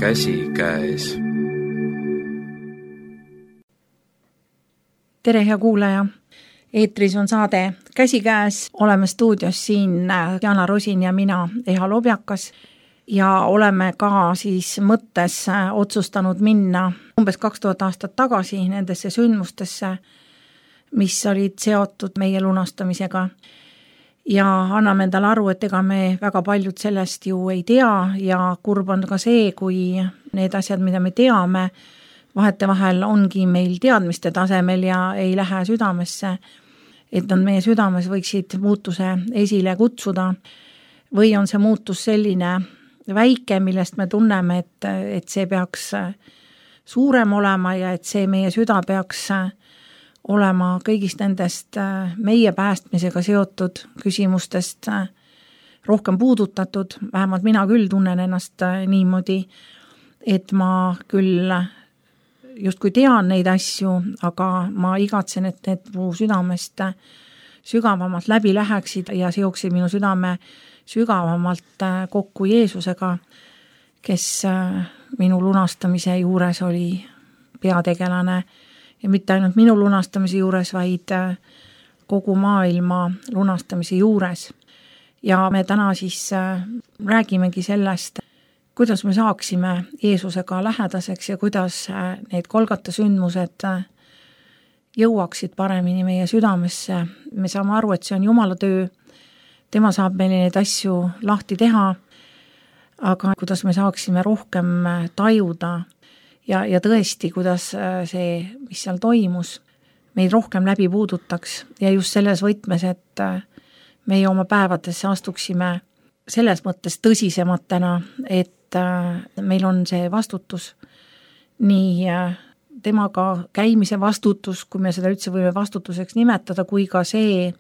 Käsikäes. Tere, hea kuulaja! Eetris on saade Käsikäes. Oleme stuudios siin Jana Rosin ja mina, Eha Lobjakas. Ja oleme ka siis mõttes otsustanud minna umbes 2000 aastat tagasi nendesse sündmustesse, mis olid seotud meie lunastamisega. Ja anname endale aru, et ega me väga paljud sellest ju ei tea ja kurb on ka see, kui need asjad, mida me teame, vahetevahel ongi meil teadmiste tasemel ja ei lähe südamesse, et nad meie südames võiksid muutuse esile kutsuda. Või on see muutus selline väike, millest me tunneme, et see peaks suurem olema ja et see meie süda peaks olema kõigist nendest meie päästmisega seotud küsimustest rohkem puudutatud. Vähemalt mina küll tunnen ennast niimoodi, et ma küll justkui tean neid asju, aga ma igatsen, et need mu südamest sügavamalt läbi läheksid ja seoksid minu südame sügavamalt kokku Jeesusega, kes minu lunastamise juures oli peategelane ja mitte ainult minu lunastamise juures, vaid kogu maailma lunastamise juures. Ja me täna siis räägimegi sellest, kuidas me saaksime Jeesusega lähedaseks ja kuidas need Golgata sündmused jõuaksid paremini meie südamesse. Me saame aru, et see on Jumala töö, tema saab meile neid asju lahti teha, aga kuidas me saaksime rohkem tajuda ja tõesti, kuidas see, mis seal toimus, meid rohkem läbi puudutaks ja just selles võtmes, et meie oma päevadesse astuksime selles mõttes tõsisematena, et meil on see vastutus, nii temaga käimise vastutus, kui me seda üldse võime vastutuseks nimetada, kui ka see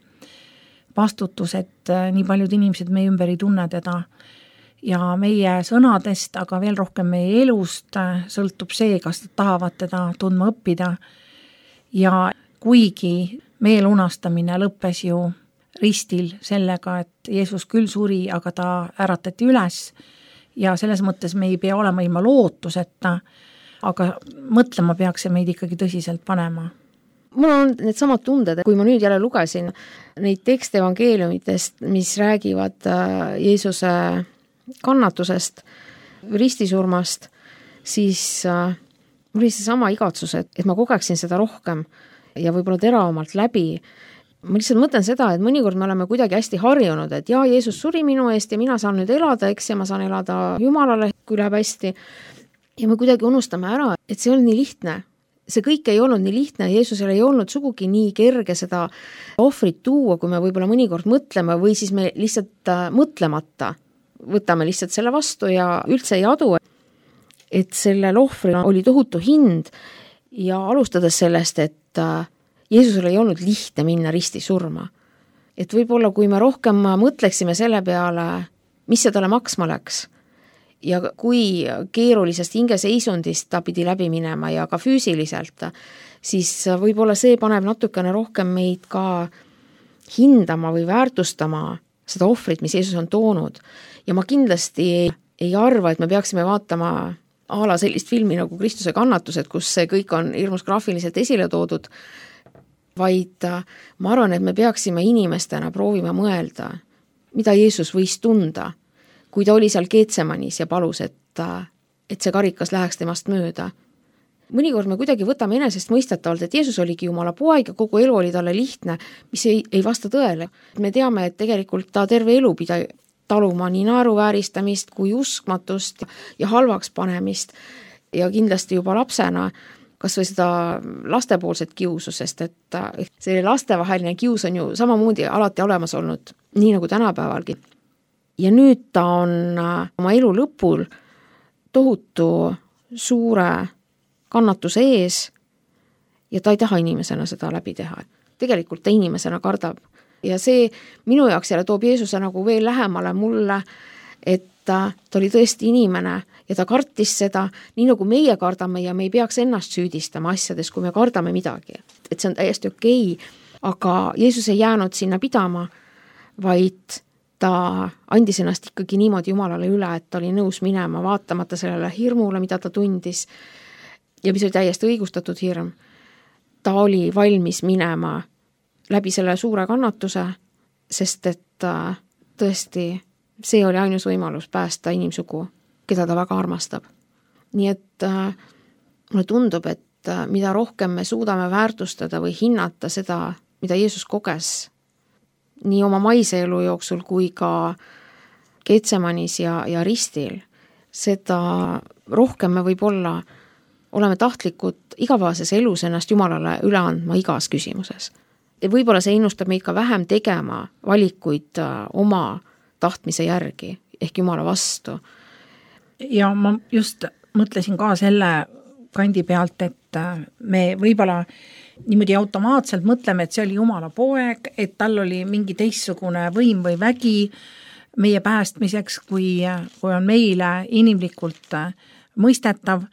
vastutus, et nii paljud inimesed meie ümber ei tunne teda. Ja meie sõnadest, aga veel rohkem meie elust sõltub see, kas nad tahavad teda tundma õppida. Ja kuigi meie lunastamine lõppes ju ristil sellega, et Jeesus küll suri, aga ta äratati üles ja selles mõttes me ei pea olema ilma lootuseta, aga mõtlema peaks see meid ikkagi tõsiselt panema. Mul on need samad tunded, kui ma nüüd jälle lugesin neid tekste evangeeliumitest, mis räägivad Jeesuse kannatusest, ristisurmast, siis mul oli see sama igatsus, et ma kogeksin seda rohkem ja võib-olla teravamalt läbi. Ma lihtsalt mõtlen seda, et mõnikord me oleme kuidagi hästi harjunud, et Jeesus suri minu eest ja mina saan nüüd elada, eks, ja ma saan elada Jumalale, kui läheb hästi. Ja me kuidagi unustame ära, et see on nii lihtne. See kõik ei olnud nii lihtne, Jeesusel ei olnud sugugi nii kerge seda ohvrit tuua, kui me võib-olla mõnikord mõtleme või siis me lihtsalt mõtlemata võtame lihtsalt selle vastu ja üldse ei adu, et sellel ohvril oli tohutu hind ja alustades sellest, et Jeesusel ei olnud lihtne minna risti surma. Et võib-olla kui me rohkem mõtleksime selle peale, mis see talle maksma läks ja kui keerulisest hingeseisundist ta pidi läbi minema ja ka füüsiliselt, siis võib-olla see paneb natukene rohkem meid ka hindama või väärtustama seda ohvrit, mis Jeesus on toonud. Ja ma kindlasti ei arva, et me peaksime vaatama a la sellist filmi nagu Kristuse kannatused, kus see kõik on hirmus graafiliselt esile toodud, vaid ma arvan, et me peaksime inimestena proovima mõelda, mida Jeesus võis tunda, kui ta oli seal Geetsemanis ja palus, et see karikas läheks temast mööda. Mõnikord me kuidagi võtame enesest mõistetavalt, et Jeesus oligi Jumala poeg ja kogu elu oli talle lihtne, mis ei vasta tõele. Me teame, et tegelikult ta terve elu pidi taluma nii naeruvääristamist kui uskmatust ja halvaks panemist ja kindlasti juba lapsena kas või seda lastepoolset kiusu, sest et see lastevaheline kius on ju samamoodi alati olemas olnud, nii nagu tänapäevalgi. Ja nüüd ta on oma elu lõpul tohutu suure kannatuse ees ja ta ei taha inimesena seda läbi teha. Tegelikult ta inimesena kardab. Ja see minu jaoks jälle toob Jeesuse nagu veel lähemale mulle, et ta oli tõesti inimene ja ta kartis seda, nii nagu meie kardame ja me ei peaks ennast süüdistama asjades, kui me kardame midagi. Et see on täiesti okei, aga Jeesus ei jäänud sinna pidama, vaid ta andis ennast ikkagi niimoodi Jumalale üle, et ta oli nõus minema vaatamata sellele hirmule, mida ta tundis ja mis oli täiesti õigustatud hirm. Ta oli valmis minema läbi selle suure kannatuse, sest et tõesti see oli ainus võimalus päästa inimsugu, keda ta väga armastab. Nii et mulle tundub, et mida rohkem me suudame väärtustada või hinnata seda, mida Jeesus koges nii oma maise elu jooksul kui ka Getsemanis ja ristil, seda rohkem me võib-olla oleme tahtlikud igapäevases elus ennast Jumalale üle andma igas küsimuses. Ja võib-olla see innustab meid ka vähem tegema valikuid oma tahtmise järgi ehk Jumala vastu. Ja ma just mõtlesin ka selle kandi pealt, et me võib-olla niimoodi automaatselt mõtleme, et see oli Jumala poeg, et tal oli mingi teistsugune võim või vägi meie päästmiseks, kui on meile inimlikult mõistetav.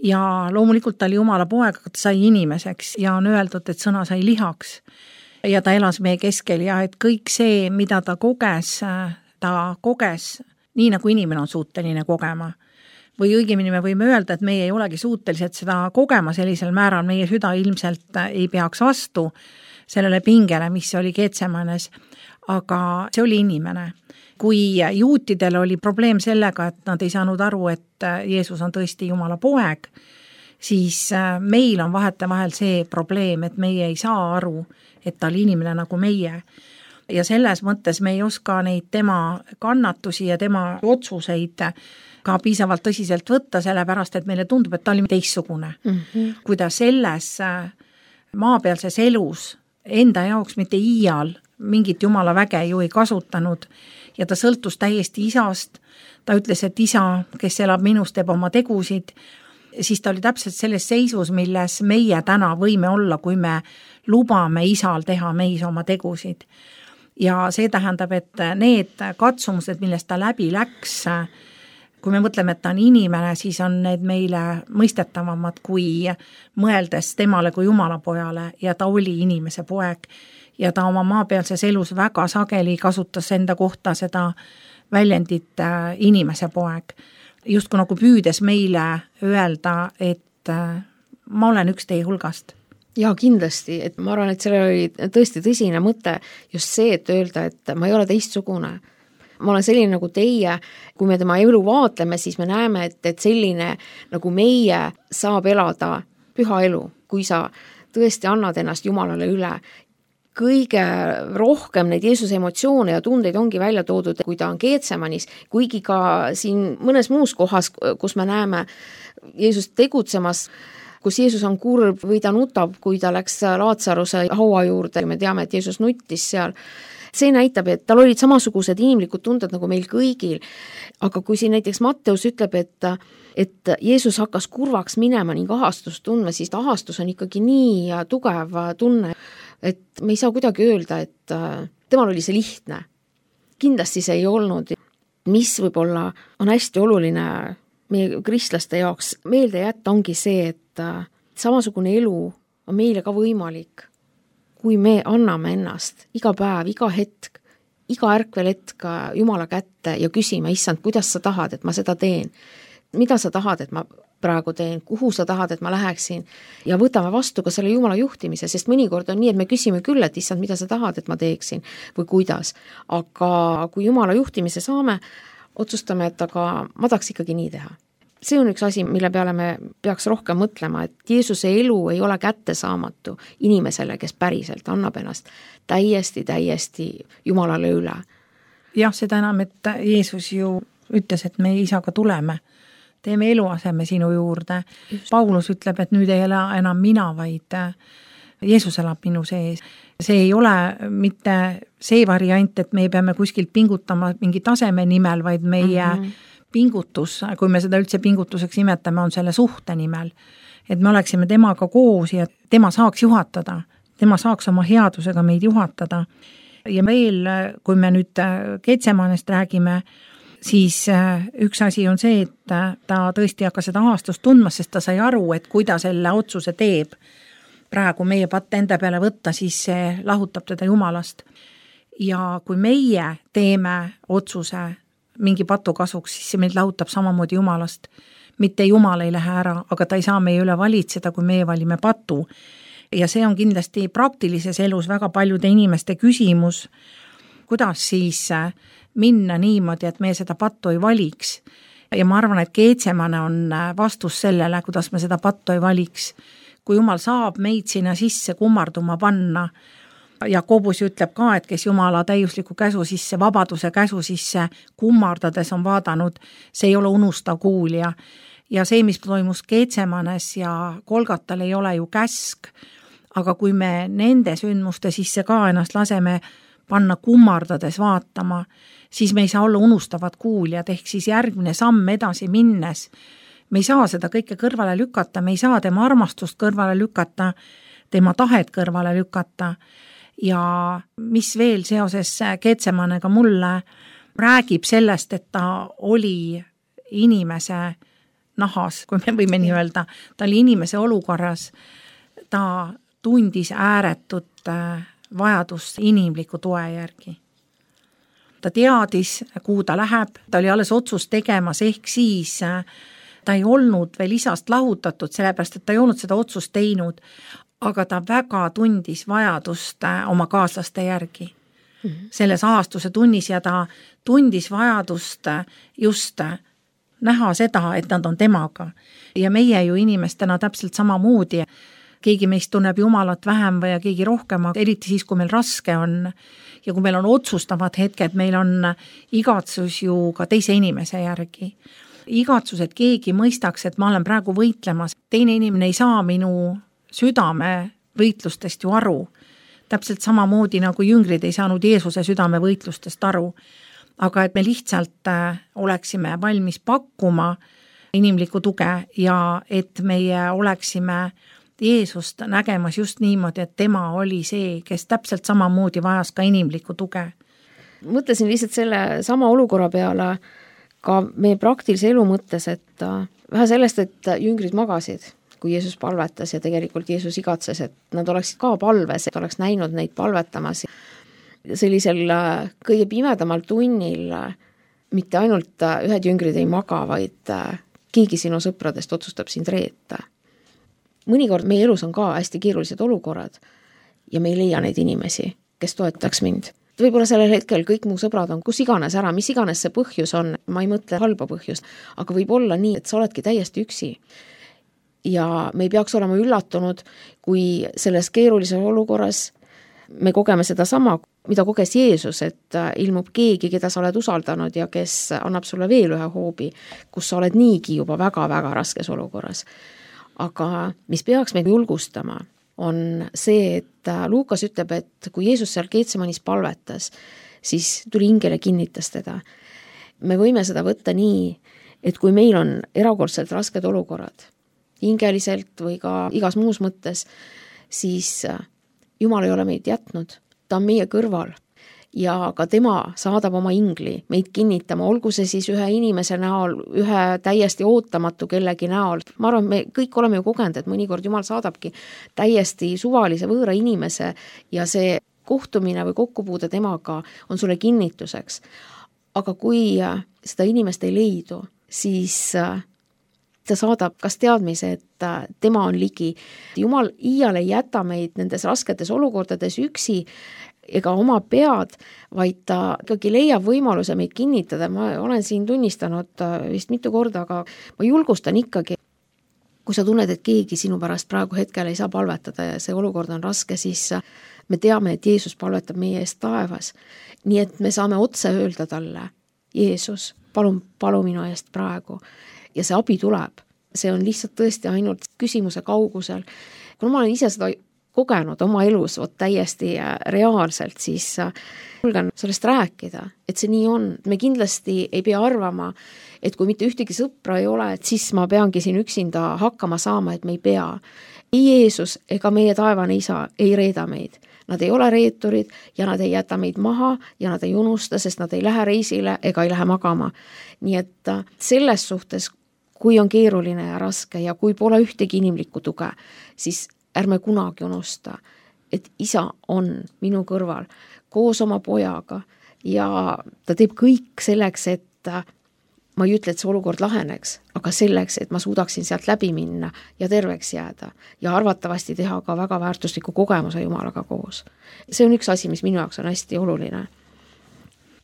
Ja loomulikult ta oli Jumala poeg, aga ta sai inimeseks ja on öeldud, et sõna sai lihaks ja ta elas meie keskel ja et kõik see, mida ta koges nii nagu inimene on suuteline kogema. Või õigemini me võime öelda, et meie ei olegi suutelised seda kogema sellisel määral, meie süda ilmselt ei peaks vastu sellele pingele, mis oli Getsemanes, aga see oli inimene. Kui juutidel oli probleem sellega, et nad ei saanud aru, et Jeesus on tõesti Jumala poeg, siis meil on vahetevahel see probleem, et meie ei saa aru, et ta oli inimene nagu meie. Ja selles mõttes me ei oska neid tema kannatusi ja tema otsuseid ka piisavalt tõsiselt võtta, sellepärast, et meile tundub, et ta oli teistsugune. Kui ta selles maapealses elus enda jaoks mitte iial mingit Jumala väge ju ei kasutanud ja ta sõltus täiesti isast, ta ütles, et isa, kes elab minust, teeb oma tegusid, siis ta oli täpselt selles seisus, milles meie täna võime olla, kui me lubame isal teha meis oma tegusid. Ja see tähendab, et need katsumused, millest ta läbi läks, kui me mõtleme, et ta on inimene, siis on need meile mõistetavamad kui mõeldes temale kui Jumala pojale ja ta oli inimese poeg ja ta oma maapealses elus väga sageli kasutas enda kohta seda väljendit inimese poeg. Just nagu püüdes meile öelda, et ma olen üks teie hulgast. Ja kindlasti, et ma arvan, et sellel oli tõesti tõsine mõte just see, et öelda, et ma ei ole teistsugune. Ma olen selline nagu teie, kui me tema elu vaatleme, siis me näeme, et selline nagu meie saab elada püha elu, kui sa tõesti annad ennast Jumalale üle. Kõige rohkem neid Jeesuse emotsioone ja tundeid ongi välja toodud, kui ta on Getsemanis, kuigi ka siin mõnes muus kohas, kus me näeme Jeesust tegutsemas, kus Jeesus on kurb või ta nutab, kui ta läks Laatsaruse haua juurde, me teame, et Jeesus nuttis seal. See näitab, et tal olid samasugused inimlikud tunded nagu meil kõigil, aga kui siin näiteks Matteus ütleb, et Jeesus hakkas kurvaks minema ning ahastust tundma, siis ahastus on ikkagi nii tugev tunne, et me ei saa kuidagi öelda, et temal oli see lihtne. Kindlasti see ei olnud, mis võib-olla on hästi oluline meie kristlaste jaoks meelde jätta, ongi see, et samasugune elu on meile ka võimalik, kui me anname ennast iga päev, iga hetk, iga ärkvel hetk Jumala kätte ja küsima, issand, kuidas sa tahad, et ma seda teen? Mida sa tahad, et ma praegu teen? Kuhu sa tahad, et ma läheksin? Ja võtame vastu ka selle Jumala juhtimise, sest mõnikord on nii, et me küsime küll, et issand, mida sa tahad, et ma teeksin või kuidas. Aga kui Jumala juhtimise saame, otsustame, et aga ma tahaks ikkagi nii teha. See on üks asi, mille peale me peaks rohkem mõtlema, et Jeesuse elu ei ole kättesaamatu inimesele, kes päriselt annab ennast täiesti Jumalale üle. Jah, seda enam, et Jeesus ju ütles, et me isaga tuleme, teeme eluaseme sinu juurde. Just. Paulus ütleb, et nüüd ei ole enam mina, vaid Jeesus elab minu sees. See ei ole mitte see variant, et me peame kuskilt pingutama mingi taseme nimel, vaid meie pingutus, kui me seda üldse pingutuseks nimetame, on selle suhte nimel. Et me oleksime temaga koos ja tema saaks juhatada. Tema saaks oma headusega meid juhatada. Ja veel, kui me nüüd Getsemanest räägime, siis üks asi on see, et ta tõesti hakkas seda ahastust tundma, sest ta sai aru, et kui ta selle otsuse teeb praegu meie patte enda peale võtta, siis see lahutab teda Jumalast. ja kui meie teeme otsuse mingi patu kasuks, siis see meid lahutab samamoodi Jumalast. Mitte Jumal ei lähe ära, aga ta ei saa meie üle valitseda, kui meie valime patu. Ja see on kindlasti praktilises elus väga paljude inimeste küsimus, kuidas siis minna niimoodi, et me seda pattu ei valiks. Ja ma arvan, et Geetsemane on vastus sellele, kuidas me seda pattu ei valiks. Kui Jumal saab meid sinna sisse kummarduma panna, Jakobus ütleb ka, et kes Jumala täiusliku käsu sisse, vabaduse käsu sisse kummardades on vaadanud, see ei ole unustav kuulja. Ja see, mis toimus Geetsemanes ja Golgatal, ei ole ju käsk, aga kui me nende sündmuste sisse ka ennast laseme panna kummardades vaatama, siis me ei saa olla unustavad kuuljad, ehk siis järgmine samm edasi minnes. Me ei saa seda kõike kõrvale lükata, me ei saa tema armastust kõrvale lükata, tema tahet kõrvale lükata. Ja mis veel seoses Geetsemanega mulle räägib sellest, et ta oli inimese nahas, kui me võime nii öelda, ta oli inimese olukorras, ta tundis ääretut vajadust inimliku toe järgi. Ta teadis, kuhu ta läheb, ta oli alles otsust tegemas, ehk siis ta ei olnud veel isast lahutatud, sellepärast, et ta ei olnud seda otsust teinud, aga ta väga tundis vajadust oma kaaslaste järgi. Selles aastuse tunnis ja ta tundis vajadust just näha seda, et nad on temaga. Ja meie ju inimestena täpselt samamoodi. Keegi meist tunneb Jumalat vähem või keegi rohkem, eriti siis, kui meil raske on. Ja kui meil on otsustavad hetked, meil on igatsus ju ka teise inimese järgi. Igatsus, et keegi mõistaks, et ma olen praegu võitlemas. Teine inimene ei saa minu südame võitlustest ju aru. Täpselt samamoodi nagu jüngrid ei saanud Jeesuse südame võitlustest aru. Aga et me lihtsalt oleksime valmis pakkuma inimlikku tuge ja et meie oleksime Jeesust nägemas just niimoodi, et tema oli see, kes täpselt samamoodi vajas ka inimlikku tuge. Mõtlesin lihtsalt selle sama olukorra peale ka meie praktilise elu mõttes, et vähe sellest, et jüngrid magasid, kui Jeesus palvetas ja tegelikult Jeesus igatses, et nad oleksid ka palves, et oleks näinud neid palvetamas. Sellisel kõige pimedamal tunnil mitte ainult ühed jüngrid ei maga, vaid keegi sinu sõpradest otsustab sind reeta. Mõnikord meie elus on ka hästi keerulised olukorrad ja me ei leia neid inimesi, kes toetaks mind. Võib-olla sellel hetkel kõik mu sõbrad on kus iganes ära, mis iganes see põhjus on, ma ei mõtle halba põhjust, aga võib olla nii, et sa oledki täiesti üksi. Ja me ei peaks olema üllatunud, kui selles keerulises olukorras me kogeme seda sama, mida koges Jeesus, et ilmub keegi, keda sa oled usaldanud ja kes annab sulle veel ühe hoobi, kus sa oled niigi juba väga-väga raskes olukorras. Aga mis peaks meid julgustama, on see, et Luukas ütleb, et kui Jeesus seal Geetsemanis palvetas, siis tuli ingel ja kinnitas teda. Me võime seda võtta nii, et kui meil on erakordselt rasked olukorrad, hingeliselt või ka igas muus mõttes, siis Jumal ei ole meid jätnud, ta on meie kõrval ja ka tema saadab oma ingli meid kinnitama, olgu see siis ühe inimese näol, ühe täiesti ootamatu kellegi näol. Ma arvan, me kõik oleme ju kogenud, et mõnikord Jumal saadabki täiesti suvalise võõra inimese ja see kohtumine või kokkupuude temaga on sulle kinnituseks. Aga kui seda inimest ei leidu, siis ta saadab kas teadmise, et tema on ligi. Jumal iial ei jäta meid nendes rasketes olukordades üksi ega oma pead, vaid ta ikkagi leiab võimaluse meid kinnitada. Ma olen siin tunnistanud vist mitu korda, aga ma julgustan ikkagi, kui sa tunned, et keegi sinu pärast praegu hetkel ei saa palvetada ja see olukord on raske, siis me teame, et Jeesus palvetab meie eest taevas. Nii et me saame otse öelda talle, Jeesus, palu minu eest praegu. Ja see abi tuleb. See on lihtsalt tõesti ainult küsimuse kaugusel. Kuna ma olen ise seda kogenud oma elus täiesti reaalselt, siis julgen sellest rääkida, et see nii on. Me kindlasti ei pea arvama, et kui mitte ühtegi sõpra ei ole, et siis ma peangi siin üksinda hakkama saama, et me ei pea. Ei Jeesus ega meie taevane isa ei reeda meid. Nad ei ole reeturid ja nad ei jäta meid maha ja nad ei unusta, sest nad ei lähe reisile ega ei lähe magama. Nii et selles suhtes, kui on keeruline ja raske ja kui pole ühtegi inimlikku tuge, siis ärme kunagi unusta, et isa on minu kõrval koos oma pojaga ja ta teeb kõik selleks, et ma ei ütle, et see olukord laheneks, aga selleks, et ma suudaksin sealt läbi minna ja terveks jääda ja arvatavasti teha ka väga väärtusliku kogemuse Jumalaga koos. See on üks asi, mis minu jaoks on hästi oluline.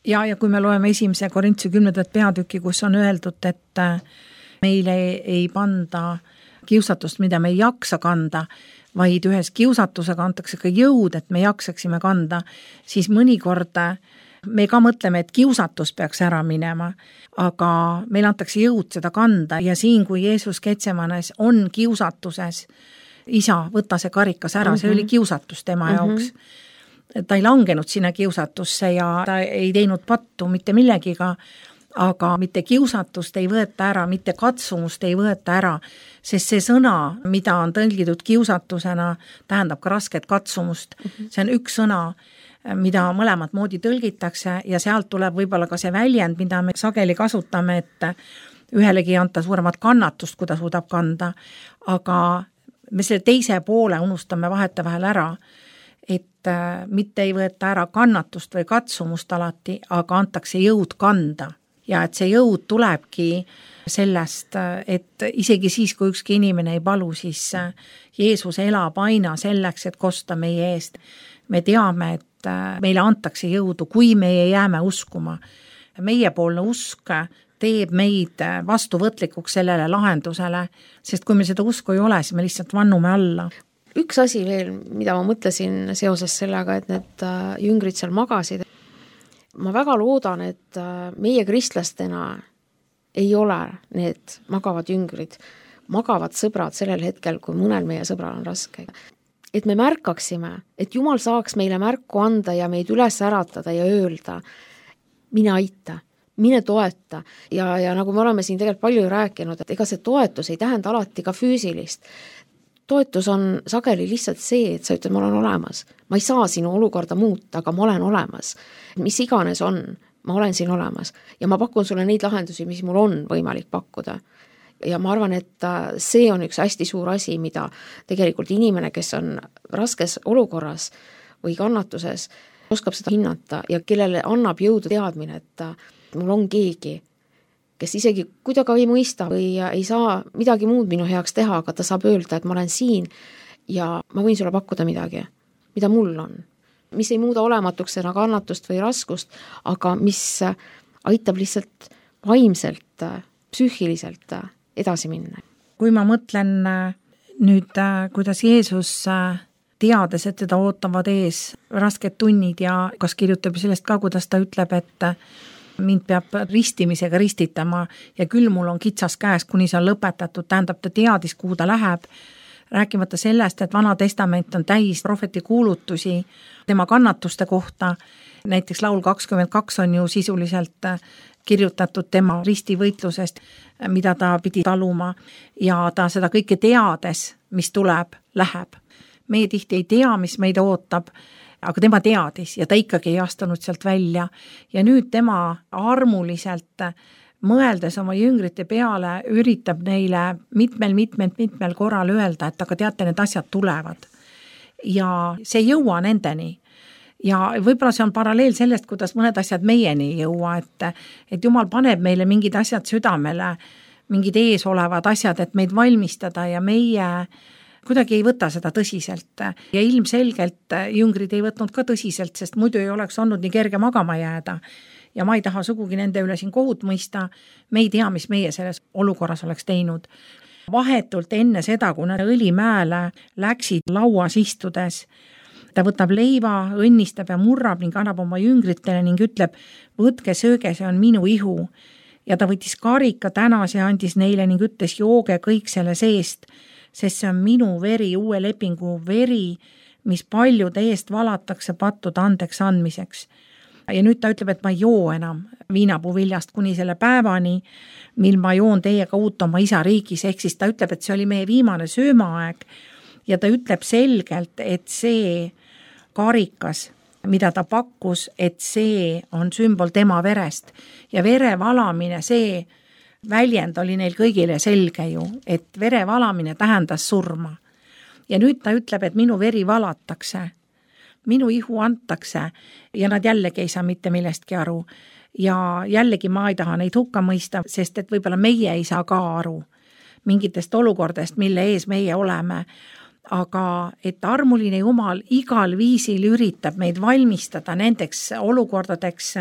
Ja kui me loeme 1. Korintuse 10. peatüki, kus on öeldud, et meile ei panda kiusatust, mida me ei jaksa kanda, vaid ühes kiusatusega antakse ka jõud, et me jaksaksime kanda, siis mõnikord me ka mõtleme, et kiusatus peaks ära minema, aga meil antakse jõud seda kanda ja siin, kui Jeesus Getsemanes on kiusatuses, isa, võta see karikas ära, see oli kiusatus tema jaoks. Ta ei langenud sinna kiusatusse ja ta ei teinud pattu mitte millegiga, aga mitte kiusatust ei võeta ära, mitte katsumust ei võeta ära, sest see sõna, mida on tõlgitud kiusatusena, tähendab ka rasket katsumust. See on üks sõna, mida mõlemat moodi tõlgitakse ja sealt tuleb võib-olla ka see väljend, mida me sageli kasutame, et ühelegi ei anta suuremat kannatust, kui ta suudab kanda, aga me selle teise poole unustame vahetevahel ära, et mitte ei võeta ära kannatust või katsumust alati, aga antakse jõud kanda. Ja et see jõud tulebki sellest, et isegi siis, kui ükski inimene ei palu, siis Jeesus elab aina selleks, et kosta meie eest. Me teame, et meile antakse jõudu, kui meie jääme uskuma. Meiepoolne usk teeb meid vastuvõtlikuks sellele lahendusele, sest kui meil seda usku ei ole, siis me lihtsalt vannume alla. Üks asi veel, mida ma mõtlesin seoses sellega, et need jüngrid seal magasid. Ma väga loodan, et meie kristlastena ei ole need magavad jüngrid, magavad sõbrad sellel hetkel, kui mõnel meie sõbral on raske. Et me märkaksime, et Jumal saaks meile märku anda ja meid üles äratada ja öelda, mine aita, mine toeta. Ja nagu me oleme siin tegelikult palju rääkinud, et ega see toetus ei tähenda alati ka füüsilist. Toetus on sageli lihtsalt see, et sa ütled, ma olen olemas. Ma ei saa sinu olukorda muuta, aga ma olen olemas. Mis iganes on, ma olen siin olemas. Ja ma pakun sulle neid lahendusi, mis mul on võimalik pakkuda. Ja ma arvan, et see on üks hästi suur asi, mida tegelikult inimene, kes on raskes olukorras või kannatuses, oskab seda hinnata ja kellele annab jõudu teadmine, et mul on keegi, kes isegi kui ta ka ei mõista või ei saa midagi muud minu heaks teha, aga ta saab öelda, et ma olen siin ja ma võin sulle pakkuda midagi, mida mul on. Mis ei muuda olematuks enna kannatust või raskust, aga mis aitab lihtsalt vaimselt, psüühiliselt edasi minna. Kui ma mõtlen nüüd, kuidas Jeesus teades, et teda ootavad ees rasked tunnid ja kas kirjutab sellest ka, kuidas ta ütleb, et mind peab ristimisega ristitama ja küll mul on kitsas käes, kuni see on lõpetatud, tähendab ta teadis, kuhu ta läheb, rääkimata sellest, et Vana Testament on täis prohveti kuulutusi tema kannatuste kohta, näiteks laul 22 on ju sisuliselt kirjutatud tema ristivõitlusest, mida ta pidi taluma ja ta seda kõike teades, mis tuleb, läheb. Meie tihti ei tea, mis meid ootab, aga tema teadis ja ta ikkagi ei astunud sealt välja ja nüüd tema armuliselt mõeldes oma jüngrite peale üritab neile mitmel korral öelda, et aga teate, need asjad tulevad ja see ei jõua nendeni ja võib-olla see on paralleel sellest, kuidas mõned asjad meieni ei jõua, et Jumal paneb meile mingid asjad südamele, mingid ees olevad asjad, et meid valmistada ja meie kuidagi ei võta seda tõsiselt ja ilmselgelt jüngrid ei võtnud ka tõsiselt, sest muidu ei oleks olnud nii kerge magama jääda ja ma ei taha sugugi nende üle siin kohut mõista, me ei tea, mis meie selles olukorras oleks teinud. Vahetult enne seda, kui nad Õlimäele läksid lauas istudes, ta võtab leiva, õnnistab ja murrab ning annab oma jüngritele ning ütleb, võtke sööge, see on minu ihu. Ja ta võttis karika tänas ja andis neile ning ütles, jooge kõik selle seest, sest see on minu veri, uue lepingu veri, mis paljude eest valatakse pattude andeks andmiseks. Ja nüüd ta ütleb, et ma ei joo enam viinapuu viljast kuni selle päevani, mil ma joon teiega uut oma isa riigis, ehk siis ta ütleb, et see oli meie viimane söömaaeg ja ta ütleb selgelt, et see karikas, mida ta pakkus, et see on sümbol tema verest ja vere valamine, see väljend oli neil kõigile selge ju, et vere valamine tähendas surma. Ja nüüd ta ütleb, et minu veri valatakse minu ihu antakse ja nad jällegi ei saa mitte millestki aru. Ja jällegi ma ei taha neid hukka mõista, sest et võib-olla meie ei saa ka aru mingitest olukordest, mille ees meie oleme. Aga et armuline Jumal igal viisil üritab meid valmistada nendeks olukordadeks,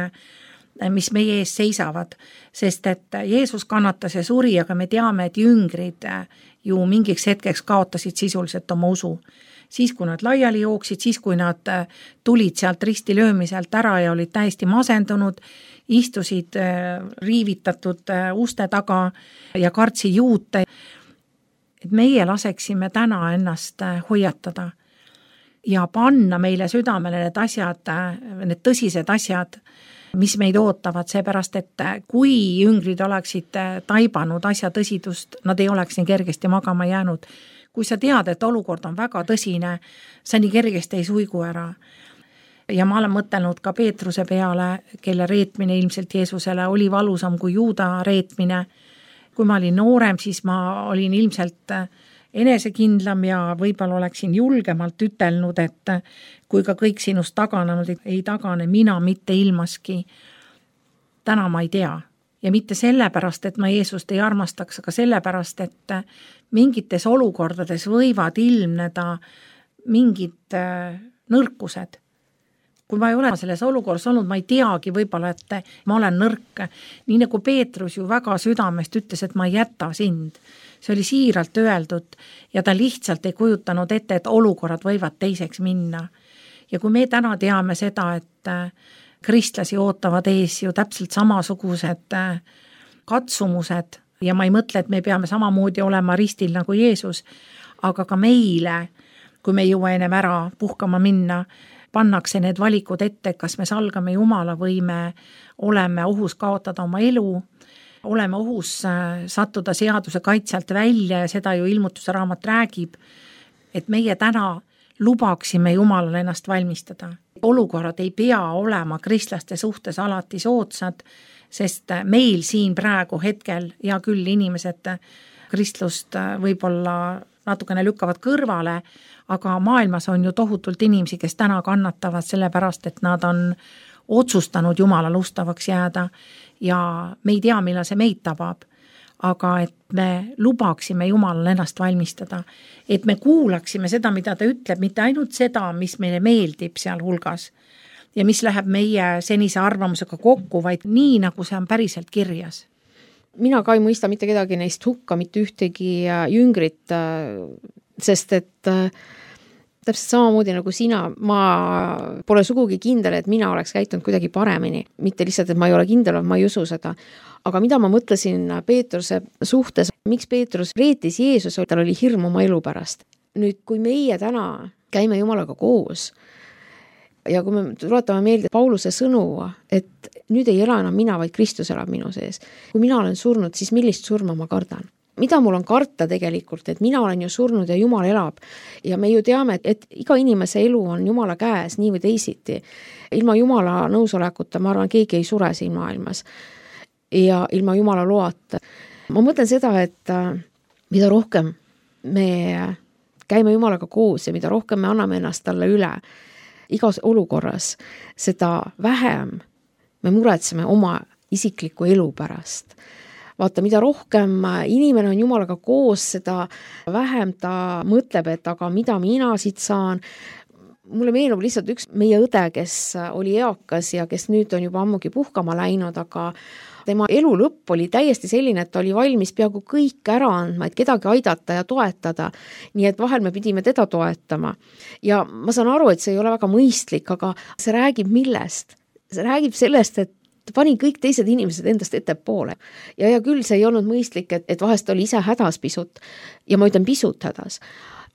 mis meie ees seisavad, sest et Jeesus kannatas ja suri, aga me teame, et jüngrid ju mingiks hetkeks kaotasid sisuliselt oma usu. Siis, kui nad laiali jooksid, siis, kui nad tulid sealt ristilöömiselt ära ja olid täiesti masendunud, istusid riivitatud uste taga ja kartsi juute, et meie laseksime täna ennast hoiatada ja panna meile südamele need asjad, need tõsised asjad, mis meid ootavad, seepärast, et kui jüngrid oleksid taibanud asja tõsidust, nad ei oleks nii kergesti magama jäänud. Kui sa tead, et olukord on väga tõsine, sa nii kergesti ei suigu ära. Ja ma olen mõtelnud ka Peetruse peale, kelle reetmine ilmselt Jeesusele oli valusam kui Juuda reetmine. Kui ma olin noorem, siis ma olin ilmselt enesekindlam ja võib-olla oleksin julgemalt ütelnud, et kui ka kõik sinust taganenud ei tagane, mina mitte ilmaski. Täna ma ei tea. Ja mitte sellepärast, et ma Jeesust ei armastaks, aga sellepärast, et mingites olukordades võivad ilmneda mingid nõrkused. Kui ma ei ole selles olukorras olnud, ma ei teagi võib-olla, et ma olen nõrk. Nii nagu Peetrus ju väga südamest ütles, et ma ei jäta sind. See oli siiralt öeldud ja ta lihtsalt ei kujutanud ette, et olukorrad võivad teiseks minna. Ja kui me täna teame seda, et kristlasi ootavad ees ju täpselt samasugused katsumused ja ma ei mõtle, et me peame samamoodi olema ristil nagu Jeesus, aga ka meile, kui me jõua ennem ära puhkama minna, pannakse need valikud ette, kas me salgame Jumala või me oleme ohus kaotada oma elu, oleme ohus sattuda seaduse kaitselt välja ja seda ju ilmutuse raamat räägib, et meie täna lubaksime Jumalale ennast valmistada. Olukorrad ei pea olema kristlaste suhtes alati soodsad, sest meil siin praegu hetkel ja küll inimesed kristlust võib-olla natukene lükkavad kõrvale, aga maailmas on ju tohutult inimesi, kes täna kannatavad sellepärast, et nad on otsustanud Jumalale ustavaks jääda ja me ei tea, millal see meid tabab, aga et me lubaksime Jumalale ennast valmistada, et me kuulaksime seda, mida ta ütleb, mitte ainult seda, mis meile meeldib seal hulgas ja mis läheb meie senise arvamusega kokku, vaid nii, nagu see on päriselt kirjas. Mina ka ei mõista mitte kedagi neist hukka, mitte ühtegi jüngrit, sest et täpselt samamoodi nagu sina, ma pole sugugi kindel, et mina oleks käitunud kuidagi paremini. Mitte lihtsalt, et ma ei ole kindel, ma ei usu seda. Aga mida ma mõtlesin Peetruse suhtes, miks Peetrus reetis Jeesus, tal oli hirm oma elu pärast. Nüüd, kui meie täna käime Jumalaga koos ja kui me tuletame meelde Pauluse sõnu, et nüüd ei ela enam mina, vaid Kristus elab minu sees. Kui mina olen surnud, siis millist surma ma kardan? Mida mul on karta tegelikult, et mina olen ju surnud ja Jumal elab. Ja me ju teame, et iga inimese elu on Jumala käes nii või teisiti. Ilma Jumala nõusolekuta, ma arvan, keegi ei sure siin maailmas. Ja ilma Jumala loata. Ma mõtlen seda, et mida rohkem me käime Jumalaga koos ja mida rohkem me anname ennast talle üle igas olukorras, seda vähem me muretseme oma isikliku elu pärast. Vaata, mida rohkem inimene on Jumalaga koos, seda vähem ta mõtleb, et aga mida mina siit saan. Mulle meenub lihtsalt üks meie õde, kes oli eakas ja kes nüüd on juba ammugi puhkama läinud, aga tema elu lõpp oli täiesti selline, et ta oli valmis peaaegu kõik ära andma, et kedagi aidata ja toetada. Nii et vahel me pidime teda toetama. Ja ma saan aru, et see ei ole väga mõistlik, aga see räägib millest? See räägib sellest, et pani kõik teised inimesed endast ettepoole. Ja küll see ei olnud mõistlik, et vahest oli ise hädas pisut ja ma ütlen pisut hädas.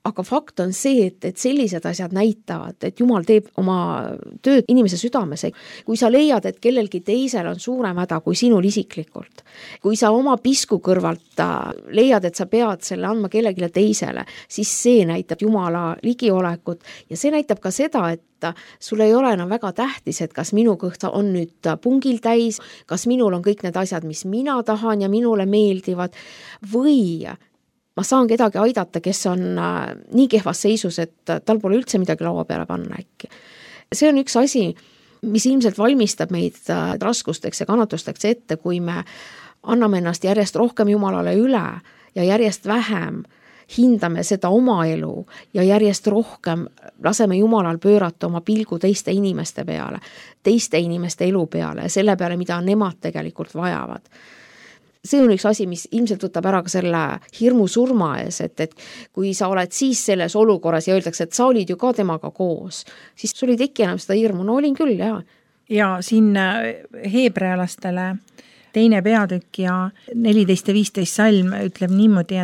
Aga fakt on see, et sellised asjad näitavad, et Jumal teeb oma tööd inimese südames. Kui sa leiad, et kellelgi teisel on suurem häda kui sinul isiklikult, kui sa oma pisku kõrvalt leiad, et sa pead selle andma kellelegi teisele, siis see näitab Jumala ligiolekut ja see näitab ka seda, et sul ei ole enam väga tähtis, et kas minu kõht on nüüd pungil täis, kas minul on kõik need asjad, mis mina tahan ja minule meeldivad või ma saan kedagi aidata, kes on nii kehvas seisus, et tal pole üldse midagi laua peale panna äkki. see on üks asi, mis ilmselt valmistab meid raskusteks ja kannatusteks ette, kui me anname ennast järjest rohkem Jumalale üle ja järjest vähem hindame seda oma elu ja järjest rohkem laseme Jumalal pöörata oma pilgu teiste inimeste peale, teiste inimeste elu peale ja selle peale, mida nemad tegelikult vajavad. See on üks asi, mis ilmselt võtab ära ka selle hirmu surma ees, et kui sa oled siis selles olukorras ja öeldakse, et sa olid ju ka temaga koos, siis sul ei teki enam seda hirmu. No olin küll, jah. Ja siin heebrealastele 2. peatükk ja 14 ja 15 salm ütleb niimoodi,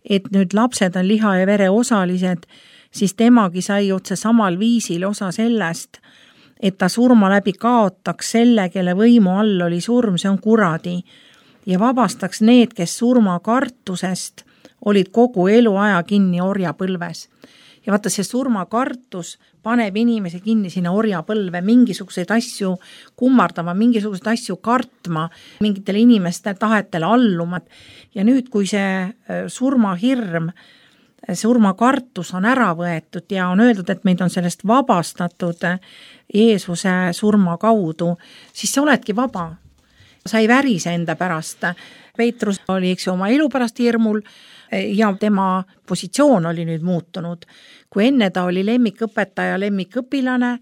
et nüüd lapsed on liha ja vere osalised, siis temagi sai otse samal viisil osa sellest, et ta surma läbi kaotaks selle, kelle võimu all oli surm, see on kuradi, ja vabastaks need, kes surma kartusest olid kogu eluaja kinni orjapõlves. Ja vaata, see surmakartus paneb inimese kinni sinna orjapõlve, mingisuguseid asju kummardama, mingisuguseid asju kartma, mingitele inimeste tahetele alluma. Ja nüüd, kui see surmahirm, surmakartus on ära võetud ja on öeldud, et meid on sellest vabastatud Jeesuse surma kaudu, siis sa oledki vaba. Sa ei värise enda pärast. Peetrus oli oma elu pärast hirmul ja tema positsioon oli nüüd muutunud. Kui enne ta oli lemmikõpetaja, lemmikõpilane,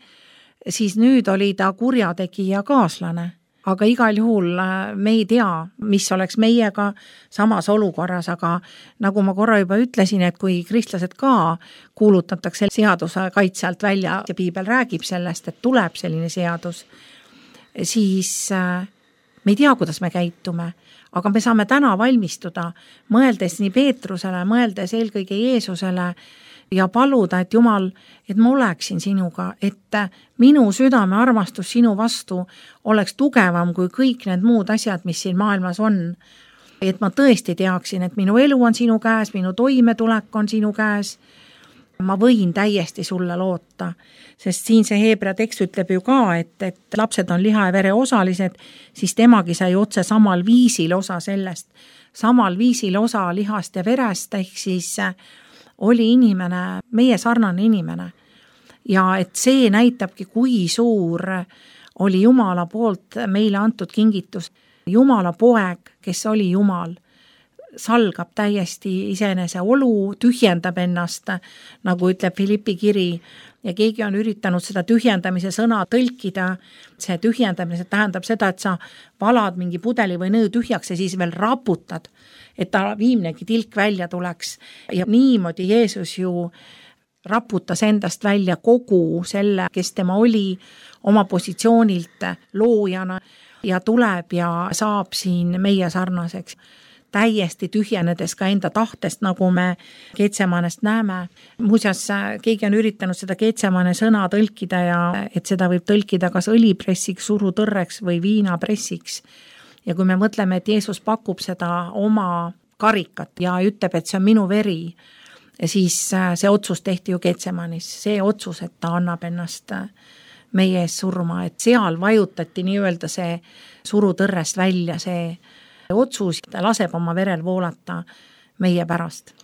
siis nüüd oli ta kurjategija kaaslane. Aga igal juhul me ei tea, mis oleks meiega samas olukorras, aga nagu ma korra juba ütlesin, et kui kristlased ka kuulutatakse seaduse kaitse alt välja ja piibel räägib sellest, et tuleb selline seadus, siis me ei tea, kuidas me käitume, aga me saame täna valmistuda, mõeldes nii Peetrusele, mõeldes eelkõige Jeesusele ja paluda, et Jumal, et ma oleksin sinuga, et minu südame armastus sinu vastu oleks tugevam kui kõik need muud asjad, mis siin maailmas on. Et ma tõesti teaksin, et minu elu on sinu käes, minu toimetulek on sinu käes. Ma võin täiesti sulle loota, sest siin see Heebrea tekst ütleb ju ka, et lapsed on liha ja vere osalised, siis temagi sai otse samal viisil osa sellest. Samal viisil osa lihast ja verest, ehk siis oli inimene, meie sarnane inimene. Ja et see näitabki, kui suur oli Jumala poolt meile antud kingitus. Jumala poeg, kes oli Jumal, salgab täiesti iseenese olu, tühjendab ennast, nagu ütleb Filippi kiri, ja keegi on üritanud seda tühjendamise sõna tõlkida. See tühjendamine tähendab seda, et sa valad mingi pudeli või nõu tühjaks ja siis veel raputad, et ta viimnegi tilk välja tuleks. Ja niimoodi Jeesus ju raputas endast välja kogu selle, kes tema oli oma positsioonilt loojana ja tuleb ja saab siin meie sarnaseks. Täiesti tühjenedes ka enda tahtest, nagu me Getsemanest näeme. Muuseas, keegi on üritanud seda Getsemane sõna tõlkida ja et seda võib tõlkida kas õlipressiks, surutõrreks või viinapressiks. Ja kui me mõtleme, et Jeesus pakub seda oma karikat ja ütleb, et see on minu veri, siis see otsus tehti ju Getsemanis. See otsus, et ta annab ennast meie ees surma, et seal vajutati nii-öelda see surutõrrest välja, see otsus laseb oma verel voolata meie pärast.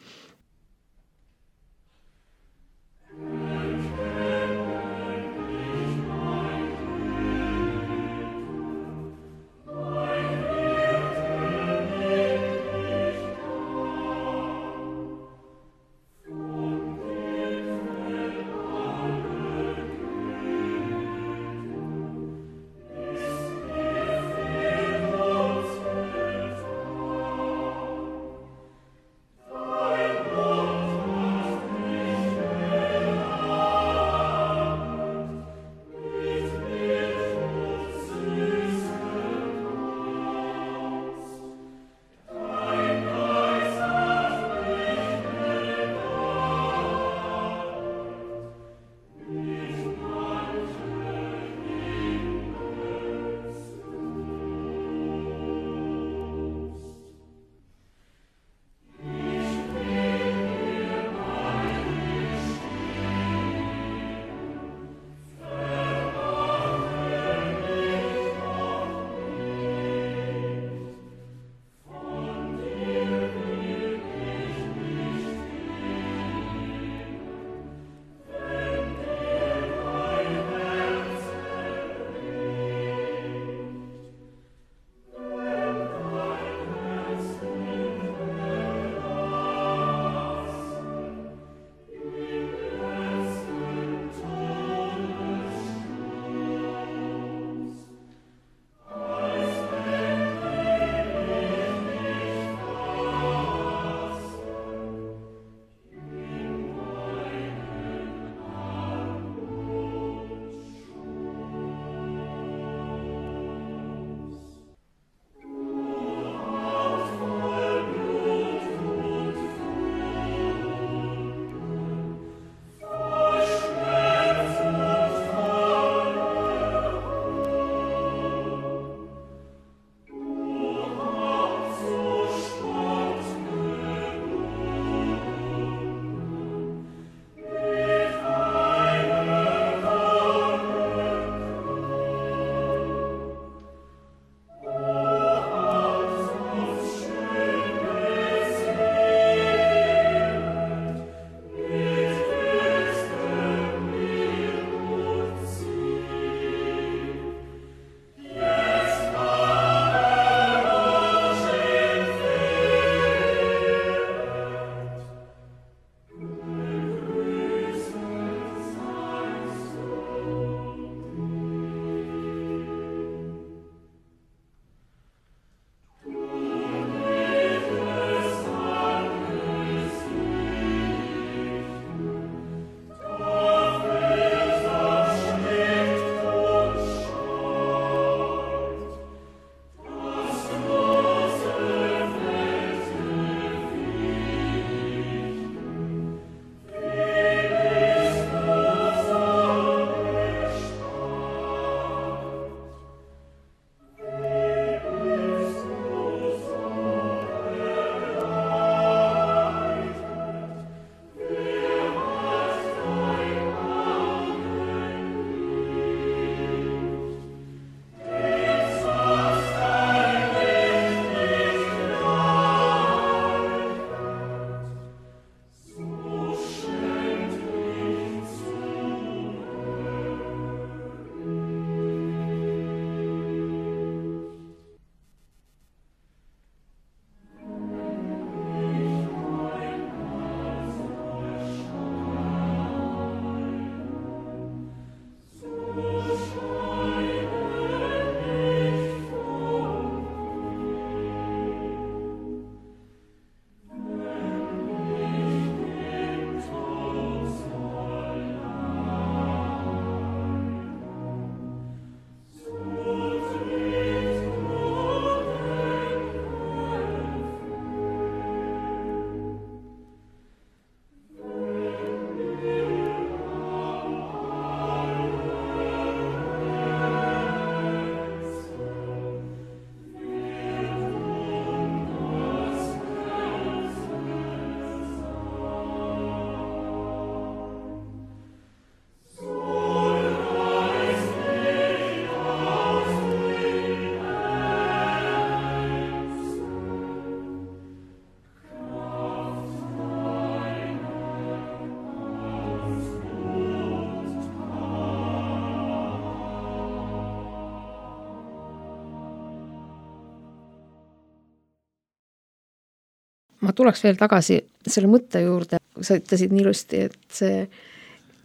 Ma tuleks veel tagasi selle mõtte juurde, sa ütlesid nii ilusti, et see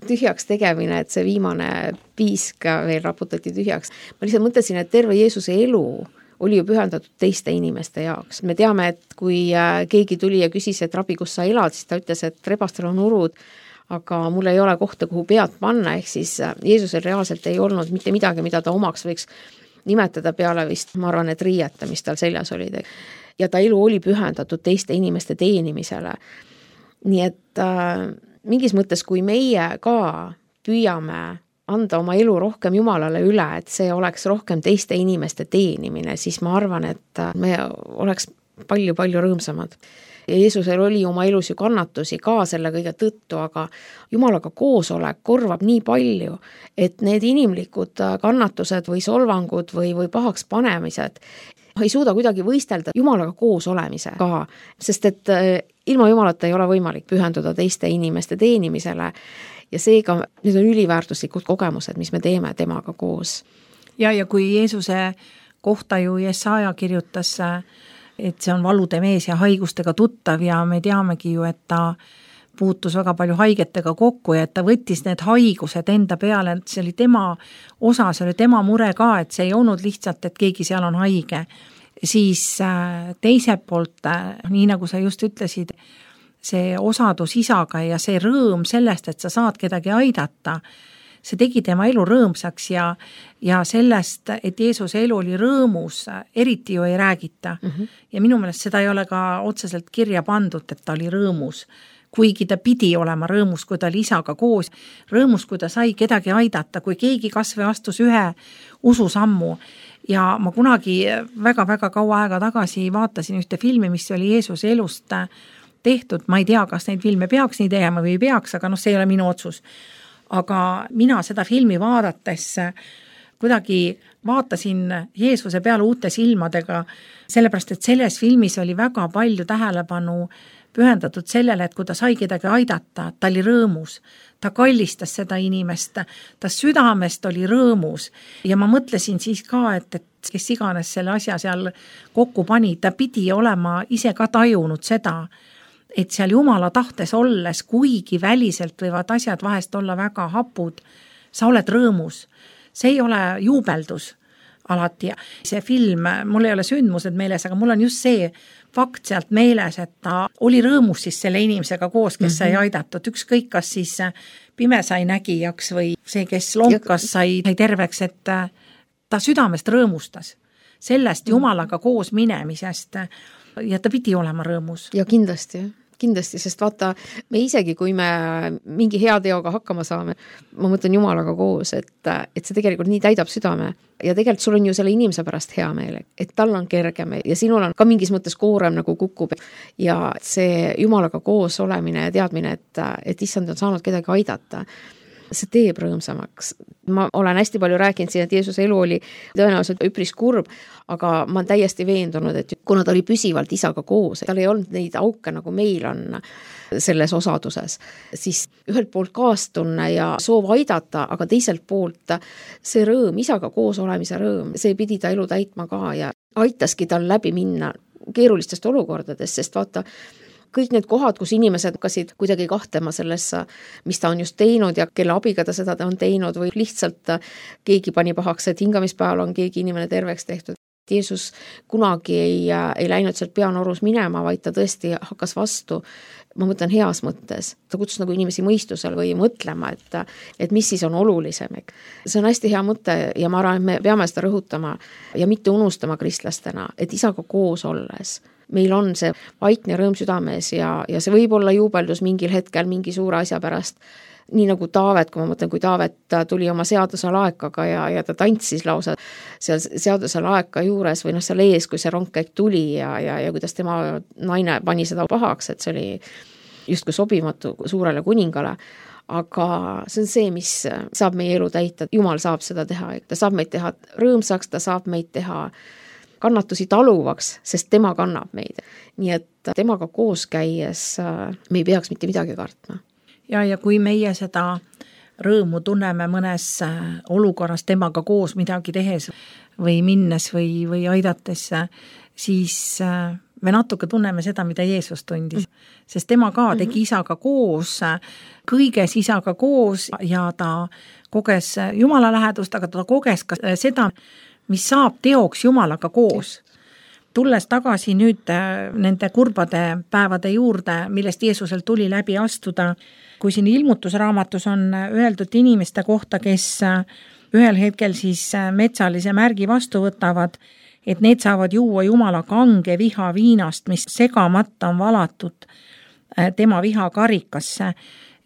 tühjaks tegemine, et see viimane piisk veel raputati tühjaks. Ma lihtsalt mõtlesin, et terve Jeesuse elu oli ju pühendatud teiste inimeste jaoks. Me teame, et kui keegi tuli ja küsis, et rabi, kus sa elad, siis ta ütles, et rebastel on urud, aga mul ei ole kohta, kuhu pead panna, ehk siis Jeesusel reaalselt ei olnud mitte midagi, mida ta omaks võiks nimetada peale vist, ma arvan, et riieta, mis tal seljas olid. Ja ta elu oli pühendatud teiste inimeste teenimisele. Nii et mingis mõttes, kui meie ka püüame anda oma elu rohkem Jumalale üle, et see oleks rohkem teiste inimeste teenimine, siis ma arvan, et me oleks palju-palju rõõmsamad. Ja Jeesusel oli oma elus ju kannatusi ka selle kõige tõttu, aga Jumalaga koosolek korvab nii palju, et need inimlikud kannatused või solvangud või pahaks panemised ei suuda kuidagi võistelda Jumalaga koos olemisega, sest et ilma Jumalata ei ole võimalik pühenduda teiste inimeste teenimisele ja seega need on üliväärtuslikud kogemused, mis me teeme temaga koos. Ja kui Jeesuse kohta ju Jesaja kirjutas, et see on valude mees ja haigustega tuttav ja me teamegi ju, et ta puutus väga palju haigetega kokku ja et ta võttis need haigused enda peale, et see oli tema osa, see oli tema mure ka, et see ei olnud lihtsalt, et keegi seal on haige. Siis teiselt poolt, nii nagu sa just ütlesid, see osadus isaga ja see rõõm sellest, et sa saad kedagi aidata, see tegi tema elu rõõmsaks ja sellest, et Jeesuse elu oli rõõmus, eriti ju ei räägita. Ja minu meelest seda ei ole ka otseselt kirja pandud, et ta oli rõõmus. Kuigi ta pidi olema rõõmus, kui ta oli isaga koos, rõõmus, kui ta sai kedagi aidata, kui keegi kas või astus ühe ususammu. Ja ma kunagi väga-väga kaua aega tagasi vaatasin ühte filmi, mis oli Jeesuse elust tehtud. Ma ei tea, kas neid filme peaks nii tegema või ei peaks, aga see ei ole minu otsus. Aga mina seda filmi vaadates kuidagi vaatasin Jeesuse peale uute silmadega, sellepärast, et selles filmis oli väga palju tähelepanu pühendatud sellele, et kui ta sai kedagi aidata, ta oli rõõmus, ta kallistas seda inimest, ta südamest oli rõõmus ja ma mõtlesin siis ka, et kes iganes selle asja seal kokku pani, ta pidi olema ise ka tajunud seda, et seal Jumala tahtes olles, kuigi väliselt võivad asjad vahest olla väga hapud, sa oled rõõmus. See ei ole juubeldus alati. See film, mul ei ole sündmused meeles, aga mul on just see fakt sealt meeles, et ta oli rõõmus siis selle inimesega koos, kes sai aidatud. Ükskõik, kas siis pime sai nägijaks või see, kes lonkas sai terveks, et ta südamest rõõmustas sellest Jumalaga koos minemisest ja ta pidi olema rõõmus. Ja kindlasti, sest vaata, me isegi, kui me mingi hea teoga hakkama saame, ma mõtlen Jumalaga koos, et see tegelikult nii täidab südame ja tegelikult sul on ju selle inimese pärast hea meel, et tal on kergem ja sinul on ka mingis mõttes koorem nagu kukub ja see Jumalaga koos olemine ja teadmine, et issand on saanud kedagi aidata, see teeb rõõmsamaks. Ma olen hästi palju rääkinud siin, et Jeesuse elu oli tõenäoliselt üpris kurb, aga ma olen täiesti veendunud, et kuna ta oli püsivalt isaga koos, tal ei olnud neid auke, nagu meil on selles osaduses, siis ühelt poolt kaastunne ja soov aidata, aga teiselt poolt see rõõm, isaga koos olemise rõõm, see pidi ta elu täitma ka ja aitaski tal läbi minna keerulistest olukordadest, sest vaata, kõik need kohad, kus inimesed hakkasid kuidagi kahtlema sellesse, mis ta on just teinud ja kelle abiga ta seda on teinud või lihtsalt keegi pani pahaks, et hingamispäeval on keegi inimene terveks tehtud. Jeesus kunagi ei läinud sealt peanorus minema, vaid ta tõesti hakkas vastu, ma mõtlen heas mõttes. Ta kutsus nagu inimesi mõistusel või mõtlema, et mis siis on olulisem. See on hästi hea mõte ja ma arvan, et me peame seda rõhutama ja mitte unustama kristlastena, et isaga koos olles meil on see vaikne rõõm südames ja see võib olla juubeldus mingil hetkel mingi suure asja pärast. Nii nagu Taavet, kui ma mõtlen, kui Taavet tuli oma seaduse laekaga ja ta tantsis lausa seal seaduse laeka juures või seal ees, kui see rongkäik tuli ja kuidas tema naine pani seda pahaks, et see oli justkui sobimatu suurele kuningale. Aga see on see, mis saab meie elu täita. Jumal saab seda teha, ta saab meid teha rõõmsaks, ta saab meid teha kannatusi taluvaks, sest tema kannab meid. Nii et temaga koos käies me ei peaks mitte midagi kartma. Ja kui meie seda rõõmu tunneme mõnes olukorras temaga koos midagi tehes või minnes või aidates, siis me natuke tunneme seda, mida Jeesus tundis, sest tema ka tegi isaga koos, kõiges isaga koos ja ta koges Jumala lähedust, aga ta koges ka seda, mis saab teoks Jumalaga koos. Tulles tagasi nüüd nende kurbade päevade juurde, millest Jeesusel tuli läbi astuda, kui siin ilmutusraamatus on öeldud inimeste kohta, kes ühel hetkel siis metsalise märgi vastu võtavad, et need saavad juua Jumala kange viha viinast, mis segamata on valatud tema viha karikasse,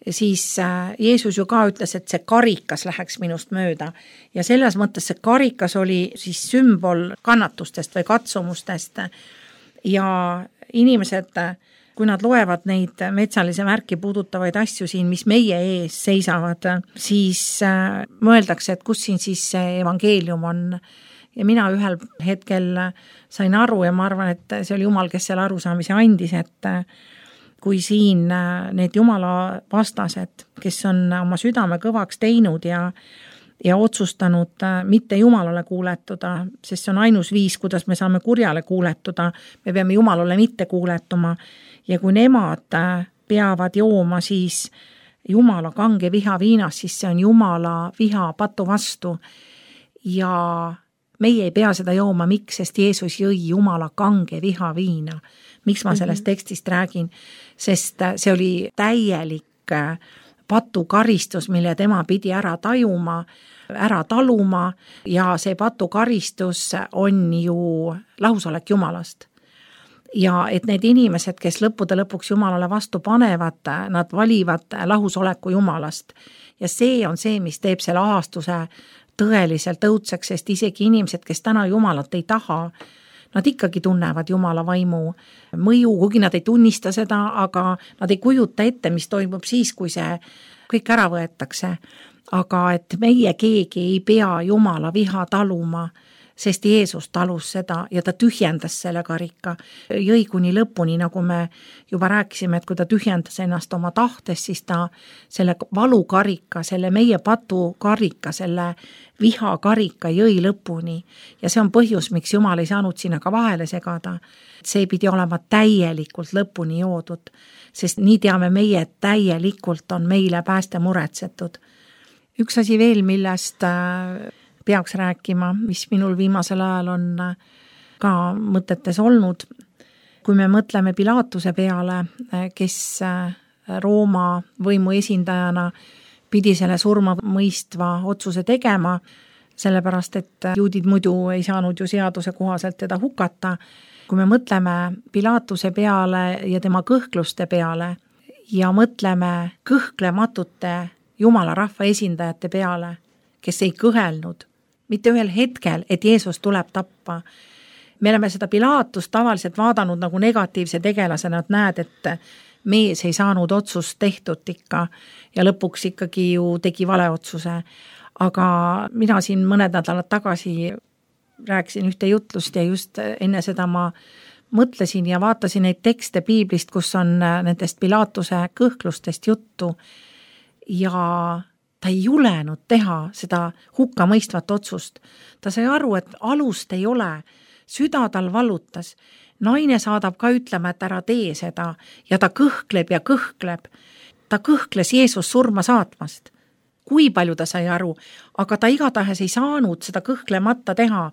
siis Jeesus ju ka ütles, et see karikas läheks minust mööda. Ja selles mõttes see karikas oli siis sümbol kannatustest või katsumustest. Ja inimesed, kui nad loevad neid metsalise märki puudutavaid asju siin, mis meie ees seisavad, siis mõeldakse, et kus siin siis see evangeelium on. Ja mina ühel hetkel sain aru ja ma arvan, et see oli Jumal, kes selle arusaamise andis, et kui siin need Jumala vastased, kes on oma südame kõvaks teinud ja otsustanud mitte Jumalale kuuletuda, sest see on ainus viis, kuidas me saame kurjale kuuletuda, me peame Jumalale mitte kuuletuma ja kui nemad peavad jooma siis Jumala kange viha viinas, siis see on Jumala viha patu vastu ja meie ei pea seda jooma, miks, sest Jeesus jõi Jumala kange viha viina. Miks ma sellest tekstist räägin? Sest see oli täielik patukaristus, mille tema pidi ära tajuma, ära taluma ja see patukaristus on ju lahusolek Jumalast. Ja et need inimesed, kes lõppude lõpuks Jumalale vastu panevad, nad valivad lahusoleku Jumalast. Ja see on see, mis teeb selle ahastuse tõeliselt õudseks, sest isegi inimesed, kes täna Jumalat ei taha, nad ikkagi tunnevad Jumala vaimu mõju, kuigi nad ei tunnista seda, aga nad ei kujuta ette, mis toimub siis, kui see kõik ära võetakse. Aga et meie keegi ei pea Jumala viha taluma, sest Jeesus talus seda ja ta tühjendas selle karika. Jõi kuni lõpuni, nagu me juba rääkisime, et kui ta tühjendas ennast oma tahtes, siis ta selle valukarika, selle meie patukarika, selle vihakarika jõi lõpuni. Ja see on põhjus, miks Jumal ei saanud sinna ka vahele segada. See pidi olema täielikult lõpuni joodud, sest nii teame meie, et täielikult on meile pääste muretsetud. Üks asi veel, millest peaks rääkima, mis minul viimasel ajal on ka mõtetes olnud. Kui me mõtleme Pilatuse peale, kes Rooma võimu esindajana pidi selle surma mõistva otsuse tegema, sellepärast et juudid muidu ei saanud ju seaduse kohaselt teda hukata. Kui me mõtleme Pilatuse peale ja tema kõhkluste peale ja mõtleme kõhklematute Jumala rahva esindajate peale, kes ei kõhelnud mitte ühel hetkel, et Jeesus tuleb tappa. Me oleme seda Pilatust tavaliselt vaadanud nagu negatiivse tegelasena, et näed, et mees ei saanud otsust tehtud ikka ja lõpuks ikkagi ju tegi vale otsuse. Aga mina siin mõned nädalad tagasi rääkisin ühte jutlust ja just enne seda ma mõtlesin ja vaatasin neid tekste piiblist, kus on nendest Pilatuse kõhklustest juttu ja ta ei julenud teha seda hukkamõistvat otsust. Ta sai aru, et alust ei ole, süda tal valutas. Naine saadab ka ütlema, et ära tee seda ja ta kõhkleb ja kõhkleb. Ta kõhkles Jeesus surma saatmast. Kui palju ta sai aru, aga ta igatahes ei saanud seda kõhklemata teha.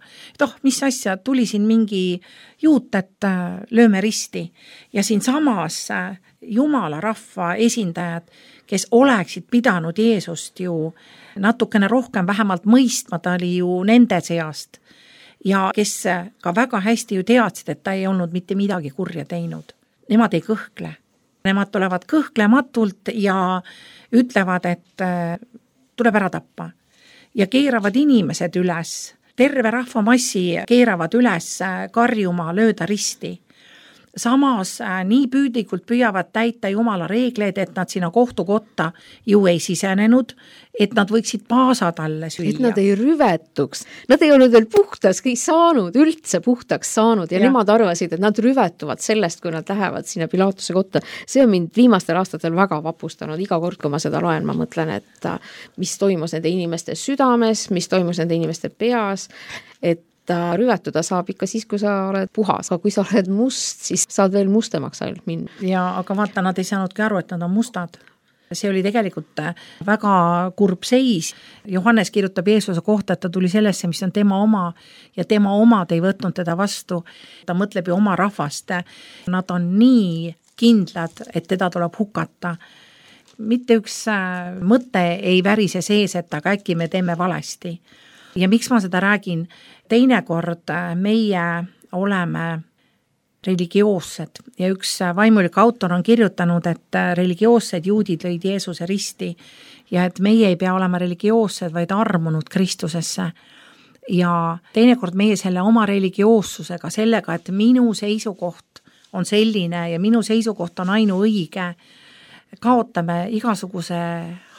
Mis asja, tuli siin mingi juut, et lööme risti. Ja siin samas Jumala rahva esindajad, kes oleksid pidanud Jeesust ju natukene rohkem vähemalt mõistma, ta oli ju nende seast. Ja kes ka väga hästi ju teadsid, et ta ei olnud mitte midagi kurja teinud. Nemad ei kõhkle. Nemad tulevad kõhklematult ja ütlevad, et tuleb ära tappa. Ja keeravad inimesed üles, terve rahvamassi keeravad üles karjuma, lööda risti. Samas nii püüdlikult püüavad täita Jumala reegleid, et nad sinna kohtukotta ju ei sisenenud, et nad võiksid paasa talle süüa. Et nad ei rüvetuks. Nad ei olnud veel puhtaski saanud, üldse puhtaks saanud ja nemad arvasid, et nad rüvetuvad sellest, kui nad lähevad sinna Pilatuse kotta. See on mind viimastel aastatel väga vapustanud. Iga kord, kui ma seda loen, ma mõtlen, et mis toimus nende inimeste südames, mis toimus nende inimeste peas, et rüvetuda saab ikka siis, kui sa oled puhas, aga kui sa oled must, siis saad veel mustemaks ainult minna. Ja aga vaata, nad ei saanudki aru, et nad on mustad. See oli tegelikult väga kurb seis. Johannes kirjutab Jeesuse kohta, et ta tuli sellesse, mis on tema oma ja tema omad ei võtnud teda vastu. Ta mõtleb ju oma rahvast. Nad on nii kindlad, et teda tuleb hukata. Mitte üks mõte ei värise sees, et aga äkki me teeme valesti. Ja miks ma seda räägin? Teinekord meie oleme religioossed ja üks vaimulik autor on kirjutanud, et religioossed juudid lõid Jeesuse risti ja et meie ei pea olema religioossed, vaid armunud Kristusesse. Ja teinekord meie selle oma religioossusega, sellega, et minu seisukoht on selline ja minu seisukoht on ainuõige, kaotame igasuguse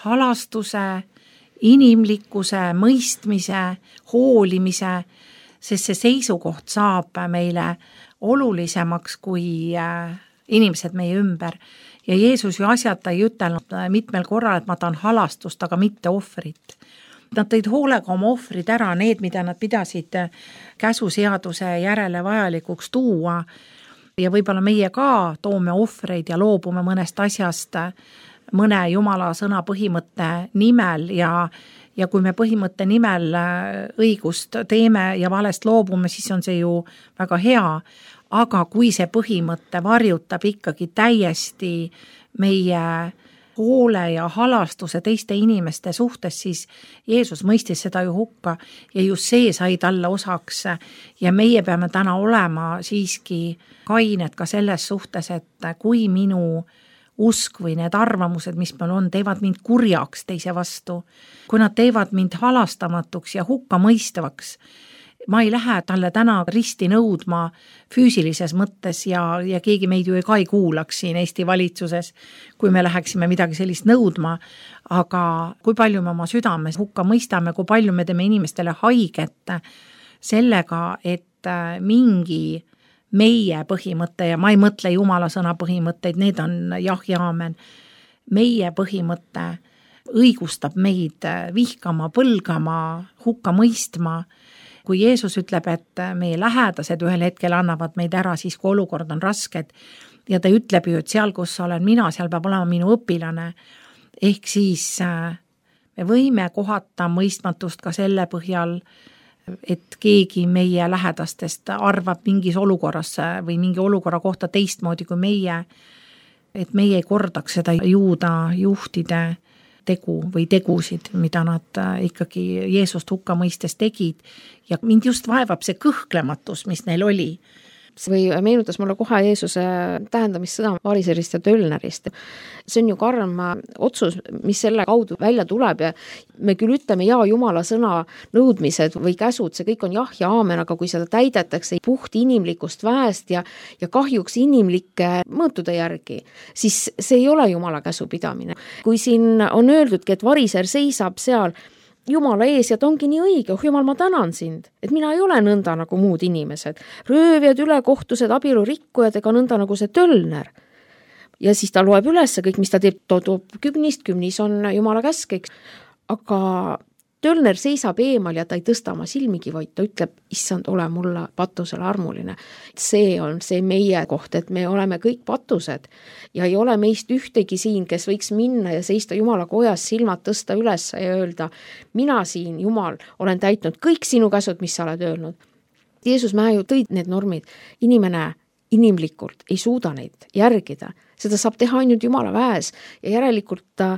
halastuse, inimlikkuse, mõistmise, hoolimise, sest see seisukoht saab meile olulisemaks kui inimesed meie ümber. Ja Jeesus ju asjata ei ütelnud mitmel korral, et ma tahan halastust, aga mitte ohvrit. Nad tõid hoolega oma ohvrid ära, need, mida nad pidasid käsuseaduse järele vajalikuks tuua. Ja võib-olla meie ka toome ohvreid ja loobume mõnest asjast mõne Jumala sõna põhimõtte nimel ja kui me põhimõtte nimel õigust teeme ja valest loobume, siis on see ju väga hea, aga kui see põhimõte varjutab ikkagi täiesti meie hoole ja halastuse teiste inimeste suhtes, siis Jeesus mõistis seda ju hukka ja just see sai talle osaks ja meie peame täna olema siiski kained ka selles suhtes, et kui minu usk või need arvamused, mis meil on, teevad mind kurjaks teise vastu, kui nad teevad mind halastamatuks ja hukka mõistavaks, ma ei lähe talle täna risti nõudma füüsilises mõttes ja keegi meid ju ka ei kuulaks siin Eesti valitsuses, kui me läheksime midagi sellist nõudma, aga kui palju me oma südames hukka mõistame, kui palju me teeme inimestele haiget sellega, et mingi meie põhimõte ja ma ei mõtle Jumala sõna põhimõtteid, need on jah ja aamen. Meie põhimõte õigustab meid vihkama, põlgama, hukka mõistma. Kui Jeesus ütleb, et meie lähedased ühel hetkel annavad meid ära, siis kui olukord on rasked ja ta ütleb ju, et seal, kus olen mina, seal peab olema minu õpilane. Ehk siis me võime kohata mõistmatust ka selle põhjal, et keegi meie lähedastest arvab mingis olukorras või mingi olukorra kohta teistmoodi kui meie, et meie ei kordaks seda juuda juhtide tegu või tegusid, mida nad ikkagi Jeesust hukka mõistes tegid ja mind just vaevab see kõhklematus, mis neil oli. Või meenutas mulle kohe Jeesuse tähendamissõda variserist ja tölnerist. See on ju karm otsus, mis selle kaudu välja tuleb ja me küll ütleme Jumala sõna nõudmised või käsud, see kõik on jah ja aamen, aga kui seda täidetakse puht inimlikust väest ja kahjuks inimlike mõõtude järgi, siis see ei ole Jumala käsupidamine. Kui siin on öeldudki, et variser seisab seal Jumala ees ja ta ongi nii õige, Jumal, ma tänan sind, et mina ei ole nõnda nagu muud inimesed, röövjad, ülekohtused, abielurikkujad ega nõnda nagu see tölner. Ja siis ta loeb üles kõik, mis ta teeb, toob kümnis on Jumala käsk, aga tölner seisab eemal ja ta ei tõsta oma silmigi, vaid ta ütleb, issand, ole mulle patusele armuline. See on see meie koht, et me oleme kõik patused ja ei ole meist ühtegi siin, kes võiks minna ja seista Jumala kojas, silmad tõsta üles ja öelda, mina siin, Jumal, olen täitnud kõik sinu käsud, mis sa oled öelnud. Jeesus Mäe ju tõid need normid. Inimene inimlikult ei suuda neid järgida. Seda saab teha ainult Jumala väes ja järelikult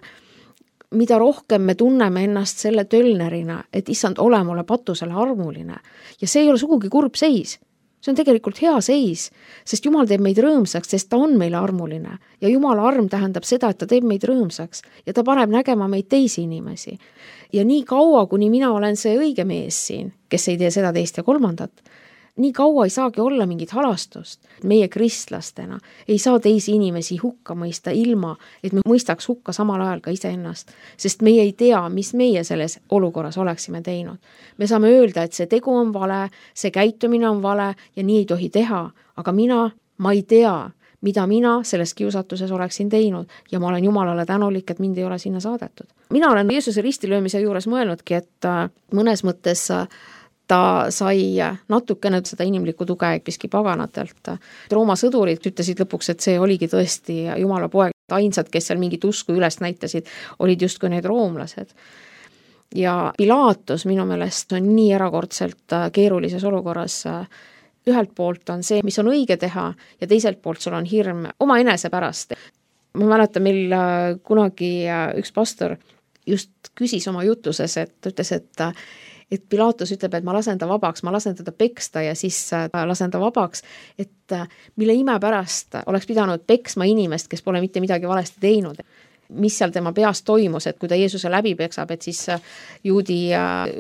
mida rohkem me tunneme ennast selle tölnerina, et issand, ole mulle patusele armuline. Ja see ei ole sugugi kurb seis. See on tegelikult hea seis, sest Jumal teeb meid rõõmsaks, sest ta on meile armuline. Ja Jumala arm tähendab seda, et ta teeb meid rõõmsaks ja ta paneb nägema meid teisi inimesi. Ja nii kaua, kuni mina olen see õige mees siin, kes ei tee seda, teist ja kolmandat, nii kaua ei saagi olla mingit halastust. Meie kristlastena ei saa teisi inimesi hukka mõista ilma, et me mõistaks hukka samal ajal ka iseennast, sest meie ei tea, mis meie selles olukorras oleksime teinud. Me saame öelda, et see tegu on vale, see käitumine on vale ja nii ei tohi teha, aga ma ei tea, mida mina selles kiusatuses oleksin teinud ja ma olen Jumalale tänulik, et mind ei ole sinna saadetud. Mina olen Jeesuse ristilöömise juures mõelnudki, et mõnes mõttes ta sai natukene seda inimlikku tuge episki paganatelt. Rooma sõdurid ütlesid lõpuks, et see oligi tõesti Jumala poeg. Ainsad, kes seal mingit usku üles näitasid, olid justkui need roomlased. Ja Pilatus minu meelest on nii erakordselt keerulises olukorras. Ühelt poolt on see, mis on õige teha, ja teiselt poolt sul on hirm oma enese pärast. Ma mäletan, meil kunagi üks pastor just küsis oma jutuses, et ütles, et Pilatus ütleb, et ma lasen ta vabaks, ma lasen teda peksta ja siis lasen ta vabaks, et mille ime pärast oleks pidanud peksma inimest, kes pole mitte midagi valesti teinud. Mis seal tema peas toimus, et kui ta Jeesuse läbi peksab, et siis juudi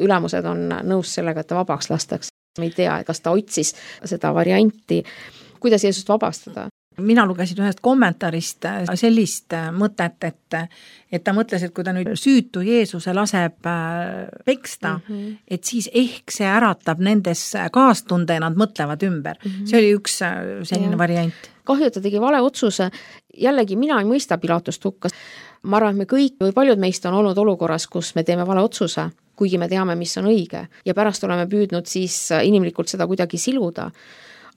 ülemused on nõus sellega, et ta vabaks lastaks. Me ei tea, kas ta otsis seda varianti, kuidas Jeesust vabastada. Mina lugesin ühest kommentaarist sellist mõtet, et ta mõtles, et kui ta nüüd süütu Jeesuse laseb peksta, et siis ehk see äratab nendes kaastunde ja nad mõtlevad ümber. See oli üks selline variant. Kahju, et ta tegi vale otsuse. Jällegi, mina ei mõista Pilatust hukka. Ma arvan, et me kõik või paljud meist on olnud olukorras, kus me teeme vale otsuse, kuigi me teame, mis on õige. Ja pärast oleme püüdnud siis inimlikult seda kuidagi siluda.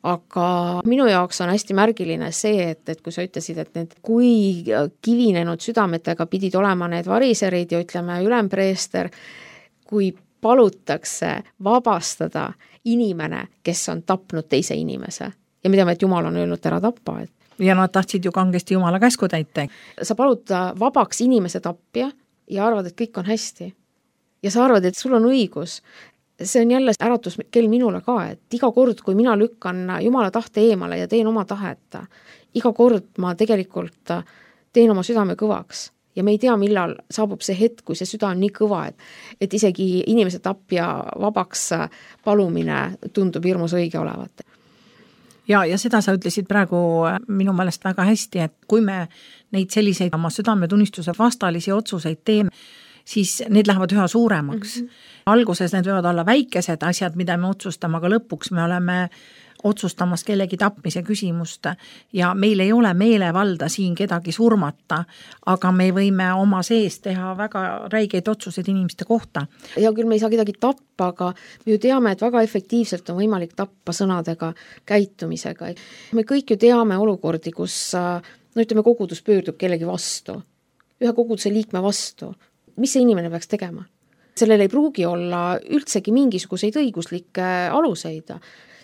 Aga minu jaoks on hästi märgiline see, et kui sa ütlesid, et need kui kivinenud südametega pidid olema need variserid ja ütleme ülempreester, kui palutakse vabastada inimene, kes on tapnud teise inimese. Ja me teame, et Jumal on öelnud ära tappa. Ja nad tahtsid ju kangesti Jumala käsku täita. Sa palud vabaks inimese tappja ja arvad, et kõik on hästi. Ja sa arvad, et sul on õigus. See on jälle äratus kell minule ka, et iga kord, kui mina lükkan Jumala tahte eemale ja teen oma tahet, iga kord ma tegelikult teen oma südame kõvaks. Ja me ei tea, millal saabub see hetk, kui see süda on nii kõva, et isegi inimese tapja vabaks palumine tundub hirmus õige olevat. Ja seda sa ütlesid praegu minu meelest väga hästi, et kui me neid selliseid oma südametunnistuse vastalisi otsuseid teeme, siis need lähevad üha suuremaks. Alguses need võivad olla väikesed asjad, mida me otsustame, aga lõpuks me oleme otsustamas kellegi tapmise küsimust ja meil ei ole meelevalda siin kedagi surmata, aga me võime oma sees teha väga räigeid otsuseid inimeste kohta. Ja küll me ei saa kedagi tappa, aga me ju teame, et väga efektiivselt on võimalik tappa sõnadega, käitumisega. Me kõik ju teame olukordi, kus kogudus pöördub kellegi vastu, ühe koguduse liikme vastu. Mis see inimene peaks tegema? Sellel ei pruugi olla üldsegi mingisuguseid õiguslikke aluseid.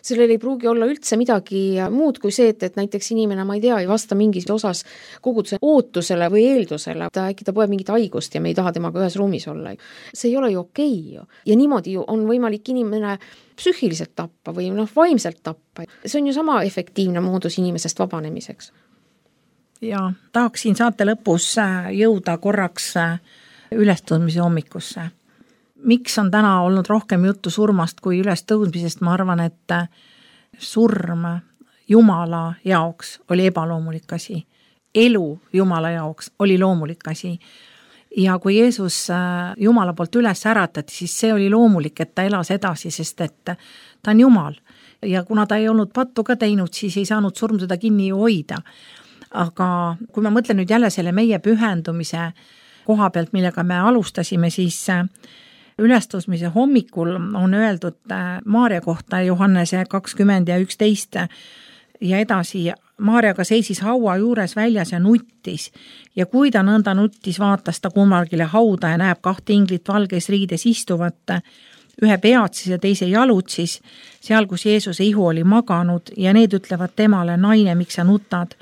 Sellel ei pruugi olla üldse midagi muud kui see, et näiteks inimene, ma ei tea, ei vasta mingis osas koguduse ootusele või eeldusele. Äkki ta põeb mingit haigust ja me ei taha temaga ühes ruumis olla. See ei ole ju okei. Ja niimoodi ju on võimalik inimene psüühiliselt tappa või vaimselt tappa. See on ju sama efektiivne moodus inimesest vabanemiseks. Ja tahaksin saate lõpus jõuda korraks ülestõudmise hommikusse. Miks on täna olnud rohkem juttu surmast kui ülestõudmisest? Ma arvan, et surm Jumala jaoks oli ebaloomulik asi. Elu Jumala jaoks oli loomulik asi. Ja kui Jeesus Jumala poolt üles äratati, siis see oli loomulik, et ta elas edasi, sest et ta on Jumal. Ja kuna ta ei olnud pattu ka teinud, siis ei saanud surm seda kinni ju hoida. Aga kui ma mõtlen nüüd jälle selle meie pühendumise koha pealt, millega me alustasime, siis ülestõusmise hommikul on öeldud Maarja kohta Johannese 20 ja 11 ja edasi. Maarjaga seisis haua juures väljas ja nuttis ja kui ta nõnda nuttis, vaatas ta kummargile hauda ja näeb 2 inglit valges riides istuvat, ühe peatsis ja teise jalutsis, seal kus Jeesuse ihu oli maganud ja need ütlevad temale, naine, miks sa nutad?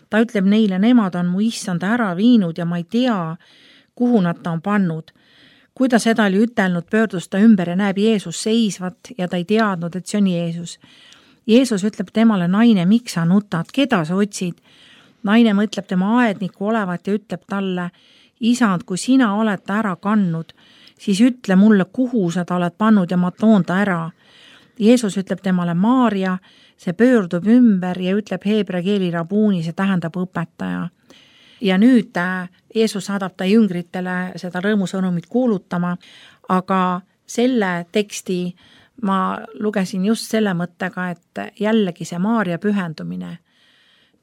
Ta ütleb neile, nemad on mu issanda ära viinud ja ma ei tea, kuhu nad ta on pannud. Kui ta seda oli ütelnud, pöördus ta ümber ja näeb Jeesus seisvat ja ta ei teadnud, et see on Jeesus. Jeesus ütleb temale, naine, miks sa nutad, keda sa otsid? Naine mõtleb tema aedniku olevat ja ütleb talle, isand, kui sina oled ta ära kandnud, siis ütle mulle, kuhu sa ta oled pannud ja ma toon ta ära. Jeesus ütleb temale Maarja, see pöördub ümber ja ütleb heebrea keeli rabuuni, see tähendab õpetaja. Ja nüüd Jeesus saadab ta jüngritele seda rõõmusõnumit kuulutama, aga selle teksti ma lugesin just selle mõttega, et jällegi see Maarja pühendumine.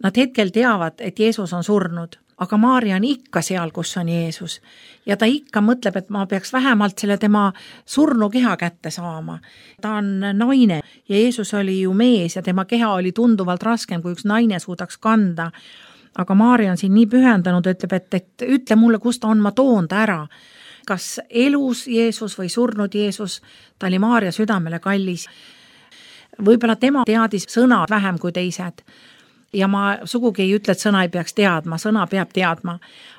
Nad hetkel teavad, et Jeesus on surnud, aga Maarja on ikka seal, kus on Jeesus. Ja ta ikka mõtleb, et ma peaks vähemalt selle tema surnu keha kätte saama. Ta on naine ja Jeesus oli ju mees ja tema keha oli tunduvalt raskem, kui üks naine suudaks kanda. Aga Maarja on siin nii pühendanud, ütleb, et ütle mulle, kus ta on, ma toon ta ära. Kas elus Jeesus või surnud Jeesus, ta oli Maarja südamele kallis. Võib-olla tema teadis sõna vähem kui teised. Ja ma sugugi ei ütle, et sõna ei peaks teadma, sõna peab teadma,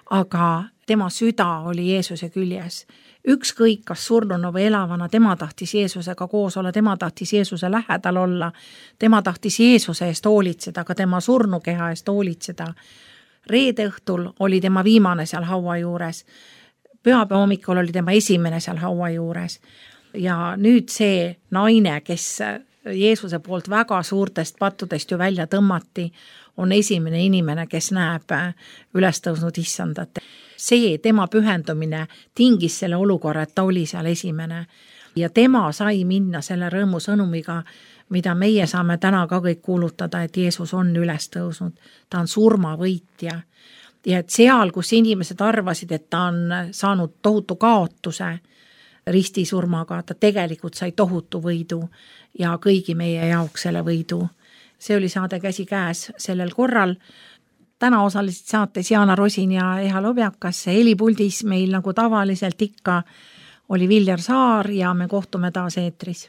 aga tema süda oli Jeesuse küljes. Ükskõik, kas surnuna või elavana, tema tahtis Jeesusega koos olla, tema tahtis Jeesuse lähedal olla, tema tahtis Jeesuse eest hoolitseda, aga tema surnukeha eest hoolitseda. Reede õhtul oli tema viimane seal haua juures, pühapäeva hommikul oli tema esimene seal haua juures ja nüüd see naine, kes Jeesuse poolt väga suurtest pattudest ju välja tõmmati, on esimene inimene, kes näeb ülestõusnud issandat. See tema pühendumine tingis selle olukorra, et ta oli seal esimene ja tema sai minna selle rõõmu sõnumiga, mida meie saame täna ka kõik kuulutada, et Jeesus on ülestõusnud, ta on surmavõitja ja et seal, kus inimesed arvasid, et ta on saanud tohutu kaotuse ristisurmaga, ta tegelikult sai tohutu võidu ja kõigi meie jaoks selle võidu. See oli saade Käsikäes sellel korral. Täna osalesid saates Jaana Rosin ja Eha Lobjakas. Helipuldis meil nagu tavaliselt ikka oli Viljar Saar ja me kohtume taas eetris.